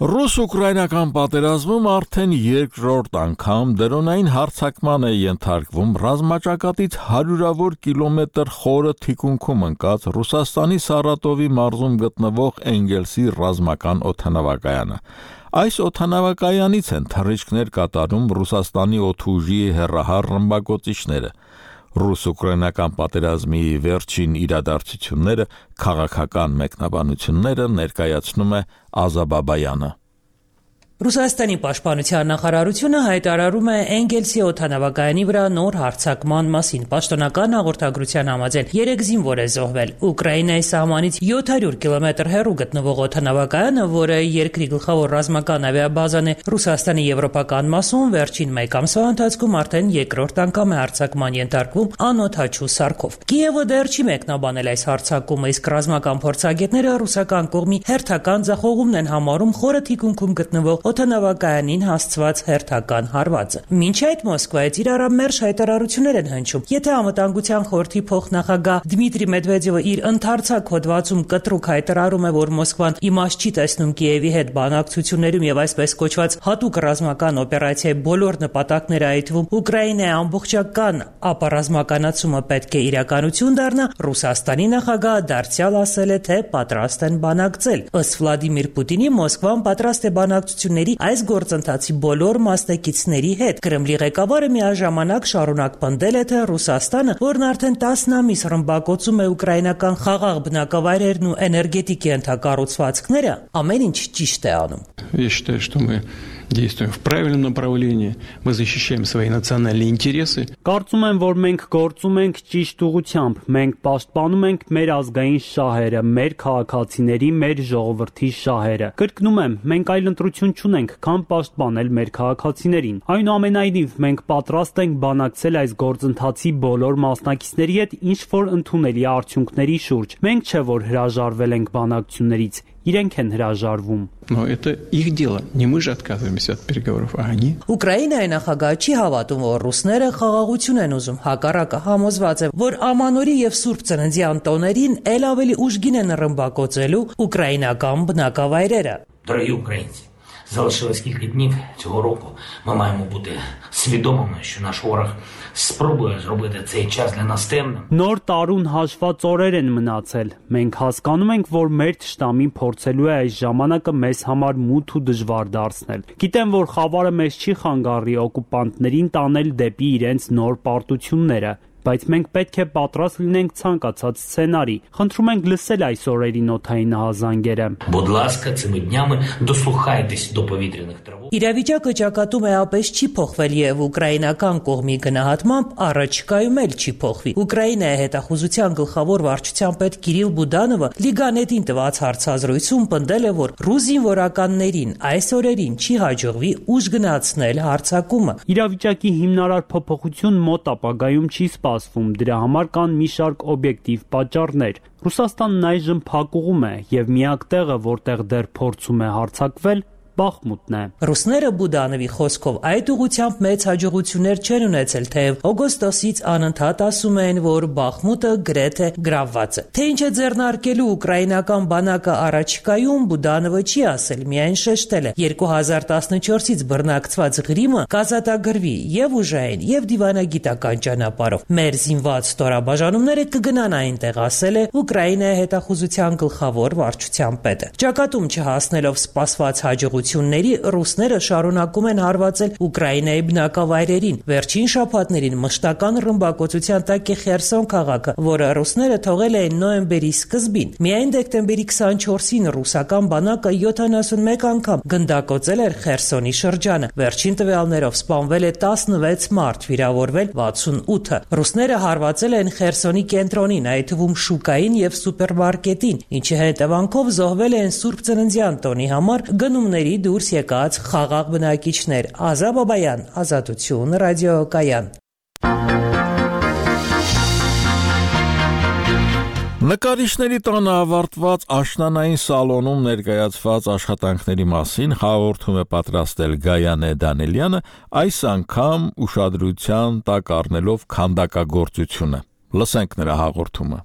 Ռուս-ուկրաինական պատերազմում արդեն երկրորդ անգամ դրոնային հարձակման է ենթարկվում ռազմաճակատից հարյուրավոր կիլոմետր խորը թիկունքում ընկած Ռուսաստանի Սարատովի մարզում գտնվող Էնգելսի ռազմական օդանավակայանը։ Այս օդանավակայանից են թռիչքներ կատարում Ռուսաստանի օդուժի հեռահար ռմբակոծիչները։ Ռուս-ուկրաինական պատերազմի վերջին իրադարձությունները, քաղաքական մեկնաբանությունները ներկայացնում է Ազաբաբայանը։ Ռուսաստանի պաշտպանության նախարարությունը հայտարարում է Էնգելսի օդանավակայանի վրա նոր հարձակման մասին։ Պաշտոնական հաղորդագրության համաձայն երեք զինվոր է զոհվել։ Ուկրաինայի սահմանից յոթ հարյուր կիլոմետր հեռու գտնվող օդանավակայանը, որը երկրի գլխավոր ռազմական ավիաբազան է Ռուսաստանի եվրոպական մասում, վերջին մեկ ամսվա ընթացքում արդեն երկրորդ անգամ է հարձակման ենթարկվում անօդաչու սարքով։ Կիևը դեռ չի մեկնաբանել այս հարձակումը, իսկ ռազմական փորձագետները ռուսական կողմի հերթական ձախողումն են համարում խորը թիկունքում գտնվող օդանավակայանին հասցված հերթական հարվածը։ Մինչ այդ Մոսկվայից իրարամերժ հայտարարություններ են հնչում։ Եթե անվտանգության խորհրդի փոխնախագահ Դմիտրի Մեդվեդևը իր ընդարձակ հոդվածում կտրուկ հայտարարում է, որ Մոսկվան իմաստ չի տեսնում Կիևի հետ բանակցություններում եւ այսպես կոչված հատուկ ռազմական օպերացիայի բոլոր նպատակները, այդ թվում Ուկրաինայի ամբողջական ապառազմականացումը պետք է իրականություն դառնա, Ռուսաստանի նախագահը դարձյալ ասել է, թե պատրաստ են բանակցել։ Ըստ Վլադիմիր Պուտինի, Մոսկվան պատրաստ է բանակցությունների այս գործընթացի բոլոր մասնակիցների հետ։ Կրեմլի ղեկավարը միաժամանակ շարունակ պնդել է, թե Ռուսաստանը, որն արդեն տասն ամիս ռմբակոծում է ուկրաինական խաղաղ բնակավայրերն ու էներգետիկի ենթակառուցվածքները, ամեն ինչ ճիշտ է անում։ Я считаю, что мы действуем в правильном направлении, мы защищаем свои национальные интересы. Կարծում եմ, որ մենք գործում ենք ճիշտ ուղղությամբ, մենք պաշտպանում ենք մեր ազգային շահերը, մեր քաղաքացիների, մեր ժողովրդի շահերը։ Կրկնում եմ, մենք այլ ընտրություն չունենք, քան պաշտպանել մեր քաղաքացիներին։ Այնուամենայնիվ, մենք պատրաստ ենք բանակցել այս գործընթացի բոլոր մասնակիցների հետ ինչ որ ընդունելի արդյունքների շուրջ։ Մենք չէ որ հրաժարվել ենք բանակցություններից, իրենք են հրաժարվում։ Но это их дело, не мы же отказываемся от переговоров, а они. Ուկրաինայի նախագահը չի հավատում, որ ռուսները խաղաղություն են ուզում, հակառակը համոզված է, որ ամանորի եւ Սուրբ Ծննդյան տոներին ել ավելի ուժգին են ռմբակոծելու ուկրաինական բնակավայրերը։ Дорогі українці, залишилось кілька днів цього року. Ми маємо бути свідомими, що наш ворог спробує зробити цей час для нас темним. Նոր տարուն հաշված օրեր են մնացել։ Մենք հասկանում ենք, որ մեր թշնամին փորձելու է այս ժամանակը մեզ համար մութ ու դժվար դարձնել։ Գիտեմ, որ խավարը մեզ չի խանգարի օկուպանտներին տանել դեպի իրենց նոր պարտությունները։ բայց մենք պետք է պատրաստ լինենք ցանկացած սցենարի։ Խնդրում ենք լսել այս օրերի նոթային ահազանգերը։ Будь ласка, цими днями дослухайтесь до повітряних тривог. Իրավիճակը ճակատում է ապես չի փոխվել եւ ուկրաինական կողմի գնահատմամբ առաջիկայում էլ չի փոխվի։ Ուկրաինայի հետախուզության գլխավոր վարչության պետ Կիրիլ Բուդանովը Լիգանետին տված հարցազրույցում պնդել է, որ ռուս զինվորականներին այս օրերին չի հաջողվի ուժ գնացնել հարձակումը։ Իրավիճակի հիմնարար փոփոխություն մոտ ապագայում չի սպասվում, դրա համար կան մի շարք օբյեկտիվ պատճառներ։ Ռուսաստանն այժմ փակուղում է եւ միակ տեղը, որտեղ դեռ փորձում է հարձակվել, Բախմուտն է։ Ռուսները Բուդանովի խոսքով այդ ուղղությամբ մեծ հաջողություններ չեն ունեցել, թեև օգոստոսից անընդհատ ասում են, որ Բախմուտը գրեթե գրավված է։ Թե ինչ է ձեռնարկելու ուկրաինական բանակը առաջիկայում, Բուդանովը չի ասել, միայն շեշտել է երկու հազար տասնչորսից բռնակցված Ղրիմը կազատագրվի եւ ուժային եւ դիվանագիտական ճանապարհով։ Մեր զինված ստորաբաժանումները կգնան այնտեղ, ասել է Ուկրաինայի հետախուզության գլխավոր վարչության պետը։ Ճակատում չհասնելով սպասված հաջողություն ռուսները շարունակում են հարվածել Ուկրաինայի բնակավայրերին։ Վերջին շաբաթներին մշտական ռմբակոծության տակ է Խերսոն քաղաքը, որը ռուսները թողել էին նոյեմբերի սկզբին։ Միայն դեկտեմբերի քսանչորսին ռուսական բանակը յոթանասունմեկ անգամ գնդակոծել էր Խերսոնի շրջանը։ Վերջին տվյալներով սպանվել է տասնվեց մարդ, վիրավորվել վաթսունութը։ Ռուսները հարվածել են Խերսոնի կենտրոնին, այդ թվում շուկային եւ սուպերմարկետին, ինչի հետևանքով զոհվել են Սուրբ Ծննդյան տոնի համար գնումների դուրս եկած խաղաղ բնակիչներ։ Ազա Բաբայան, Ազատություն, ռադիոկայան։ Նկարիչների տանը ավարտված աշնանային սալոնում ներկայացված աշխատանքների մասին հաղորդում է պատրաստել Գայանե Դանելյանը, այս անգամ ուշադրության տակ առնելով քանդակագործությունը։ Լսենք նրա հաղորդումը։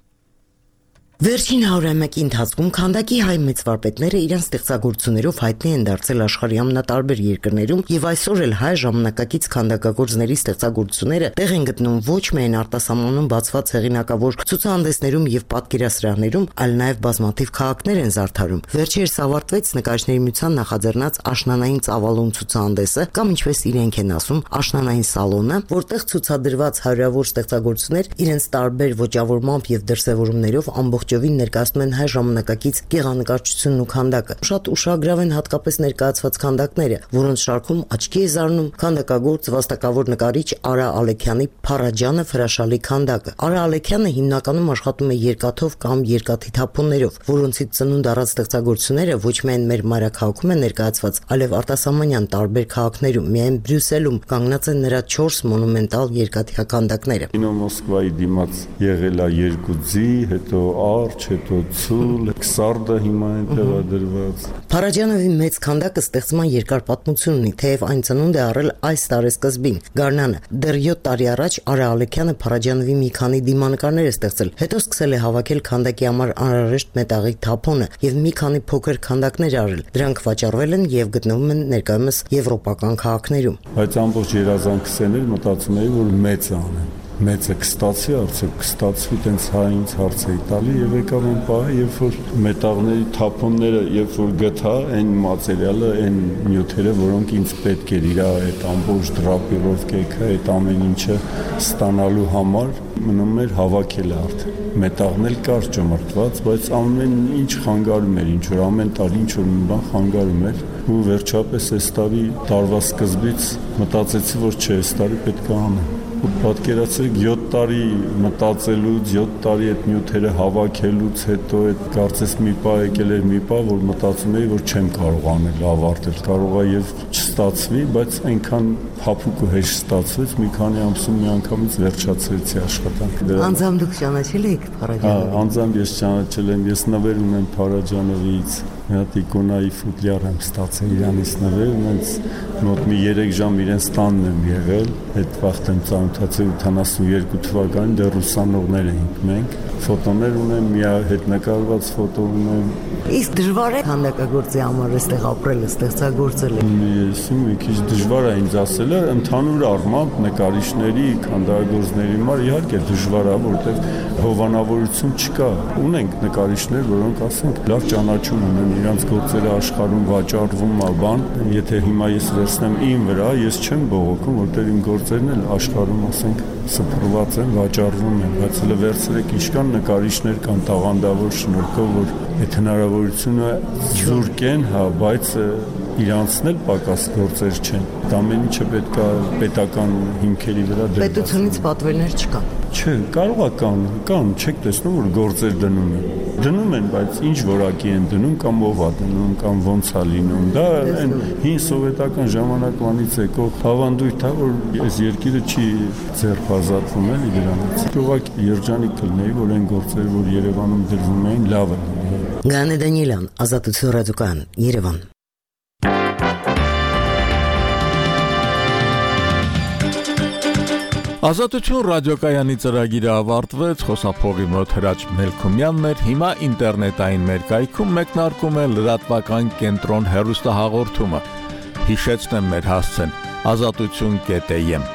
Վերջին հարյուրամյակի ընթացքում քանդակի հայ մեծ վարպետները իրենց ստեղծագործություններով հայտնի են դարձել աշխարհի ամենատարբեր երկրներում եւ այսօր էլ հայ ժամանակակից քանդակագործների ստեղծագործությունները տեղ են գտնում ոչ միայն արտասահմանում բացված հեղինակավոր ցուցահանդեսներում եւ պատկերասրահներում, այլ նաեւ բազմաթիվ քաղաքներ են զարդարում։ Վերջերս ավարտվեց Նկարիչների միության նախաձեռնած աշնանային ծավալուն ցուցահանդեսը, կամ ինչպես իրենք են ասում, աշնանային սալոնը, որտեղ ցուցադրված հարյուրավոր ստեղծագործություններ իրենց տարբեր ոճավորմամբ եւ դրսեւորումներով ամբողջ Ջովին ներկայացնում են հայ ժամանակակից գեղանկարչությունն ու քանդակը։ Շատ ուշագրավ են հատկապես ներկայացված քանդակները, որոնց շարքում աչքի է զարնում քանդակագործ վաստակավոր նկարիչ Արա Ալեքյանի Փարաջանը հրաշալի քանդակը։ Արա Ալեքյանը հիմնականում աշխատում է երկաթով կամ երկաթի թափոններով, որոնցից ծնունդ առած ստեղծագործությունները ոչ միայն մեր մայրաքաղաքում են ներկայացված, այլև արտասահմանյան տարբեր քաղաքներում, միայն Բրյուսելում կանգնած են նրա չորս մոնումենտալ երկաթյա քանդակները։ Կինո Մոսկվայի դիմաց եղել է երկու ձի, հետո արջ, հետո ցուլ, քսարդը հիմա են տեղադրված։ Փարաջանովի մեծ քանդակը ստեղծման երկար պատմություն ունի, թեև այն ծնունդ է առել այս տարեսկզբին։ Գարնանը դեռ յոթ տարի առաջ Արա Ալեքյանը Փարաջանովի մի քանի դիմանկարներ է ստեղծել, հետո սկսել է հավաքել քանդակի համար անհրաժեշտ մետաղի թափոնը եւ մի քանի փոքր քանդակներ արել։ Դրանք վաճառվել են եւ գտնվում են ներկայումս եվրոպական քաղաքներում։ Բայց ամբողջ երազանքս են էլ մտածում էի, որ մեծ անեմ։ Մեծը կստացի, արդյոք կստացվի, տենց հայինց հարց էի տալի եւ եկավ այն պահը, երբ որ մետաղների թափոնները, երբ որ գտա այն մատերիալը, այն նյութերը, որոնք ինձ պետք էր իր այդ ամբողջ դրապիրովկեքը, այդ ամեն ինչը ստանալու համար, մնում էր հավաքելը արդեն։ Մետաղն էլ կար ճմրթված, բայց ամեն ինչ խանգարում էր, ինչ որ ամեն տարի ինչ որ մի բան խանգարում էր, ու վերջապես այս տարի տարվա սկզբից մտածեցի, որ չէ, այս տարի պետք է անեմ։ Պատկերացրեք յոթ տարի մտածելուց, յոթ տարի այդ նյութերը հավաքելուց հետո այդ կարծես մի պահ եկել էր մի պահ, որ մտածում էի, որ չեմ կարող անել, ավարտել, կարող է եւ չստացվի, բայց այնքան փափուկ ու հեշտ ստացվեց, մի քանի ամսում մի անգամից վերջացրեցի աշխատանքը։ Անձամբ դուք ճանաչել եք Փարաջանովին։ Հա, անձամբ ես ճանաչել եմ, ես նվեր ունեմ Փարաջանովից։ Մի հատ իկոնայի ֆուտլյար եմ ստացել իրանից նվեր, ունենց մոտ մի երեք ժամ իրենց տանն եմ եղել, այդ վաղտ եմ ծանոթացել ութանասունյոթ թվականին, դեռ ուսանողներ էինք մենք, ֆոտոներ ունեմ, մի հետ նկարված ֆոտո ունեմ։ Իսկ դժվար է քանդակագործի համար այստեղ ապրելը, ստեղծագործելը։ Ես մի քիչ դժվար է ինձ ասելը, ընդհանուր առմամբ նկարիչների, քանդակագործների համար իհարկե դժվար է, որովհետև հովանավորություն չկա։ Ունենք նկարիչներ, որոնք ասենք լավ ճանաչում ունեն իրանց գործերը աշխարհում վաճառվում ա բան, եթե հիմա ես վերցնեմ իմ վրա, ես չեմ բողոքում, որտեղ իմ գործերն էլ աշխարհում, ասենք, սփռված են, վաճառվում են, բայց հələ վերցրեք ինչքան նկարիչներ կան տաղանդավոր շնորհքով, որ այդ հնարավորությունը զուրկ են, հա, բայց իրանցն էլ պակաս գործեր չեն։ Դա ամեն ինչը պետք է պետական հիմքերի վրա դրված։ Պետությունից պատվերներ չկան։ Չէ, կարող է կան, կան, չեք տեսնում, որ գործեր դնում են։ Դնում են, բայց ինչ որակի են դնում, կամ ով է դնում, կամ ոնց է լինում։ Դա այն հին սովետական ժամանակվանից եկող ավանդույթ է, որ այս երկիրը չի ձեռբազատվում էլի դրանից։ Ուղղակի երջանիկ կլինեի, որ այն գործերը, որ Երևանում դրվում էին, լավ են։ Գանե Դանիելյան, Ազատություն ռադիոկայան, Երևան։ Ազատություն ռադիոկայանի ծրագիրը ավարտվեց, խոսափողի մոտ Հրաչ Մելքումյանն էր, հիմա ինտերնետային մեր կայքում մեկնարկում է լրատվական կենտրոն հեռուստահաղորդումը։ Հիշեցնեմ մեր հասցեն ազատություն կետ եմ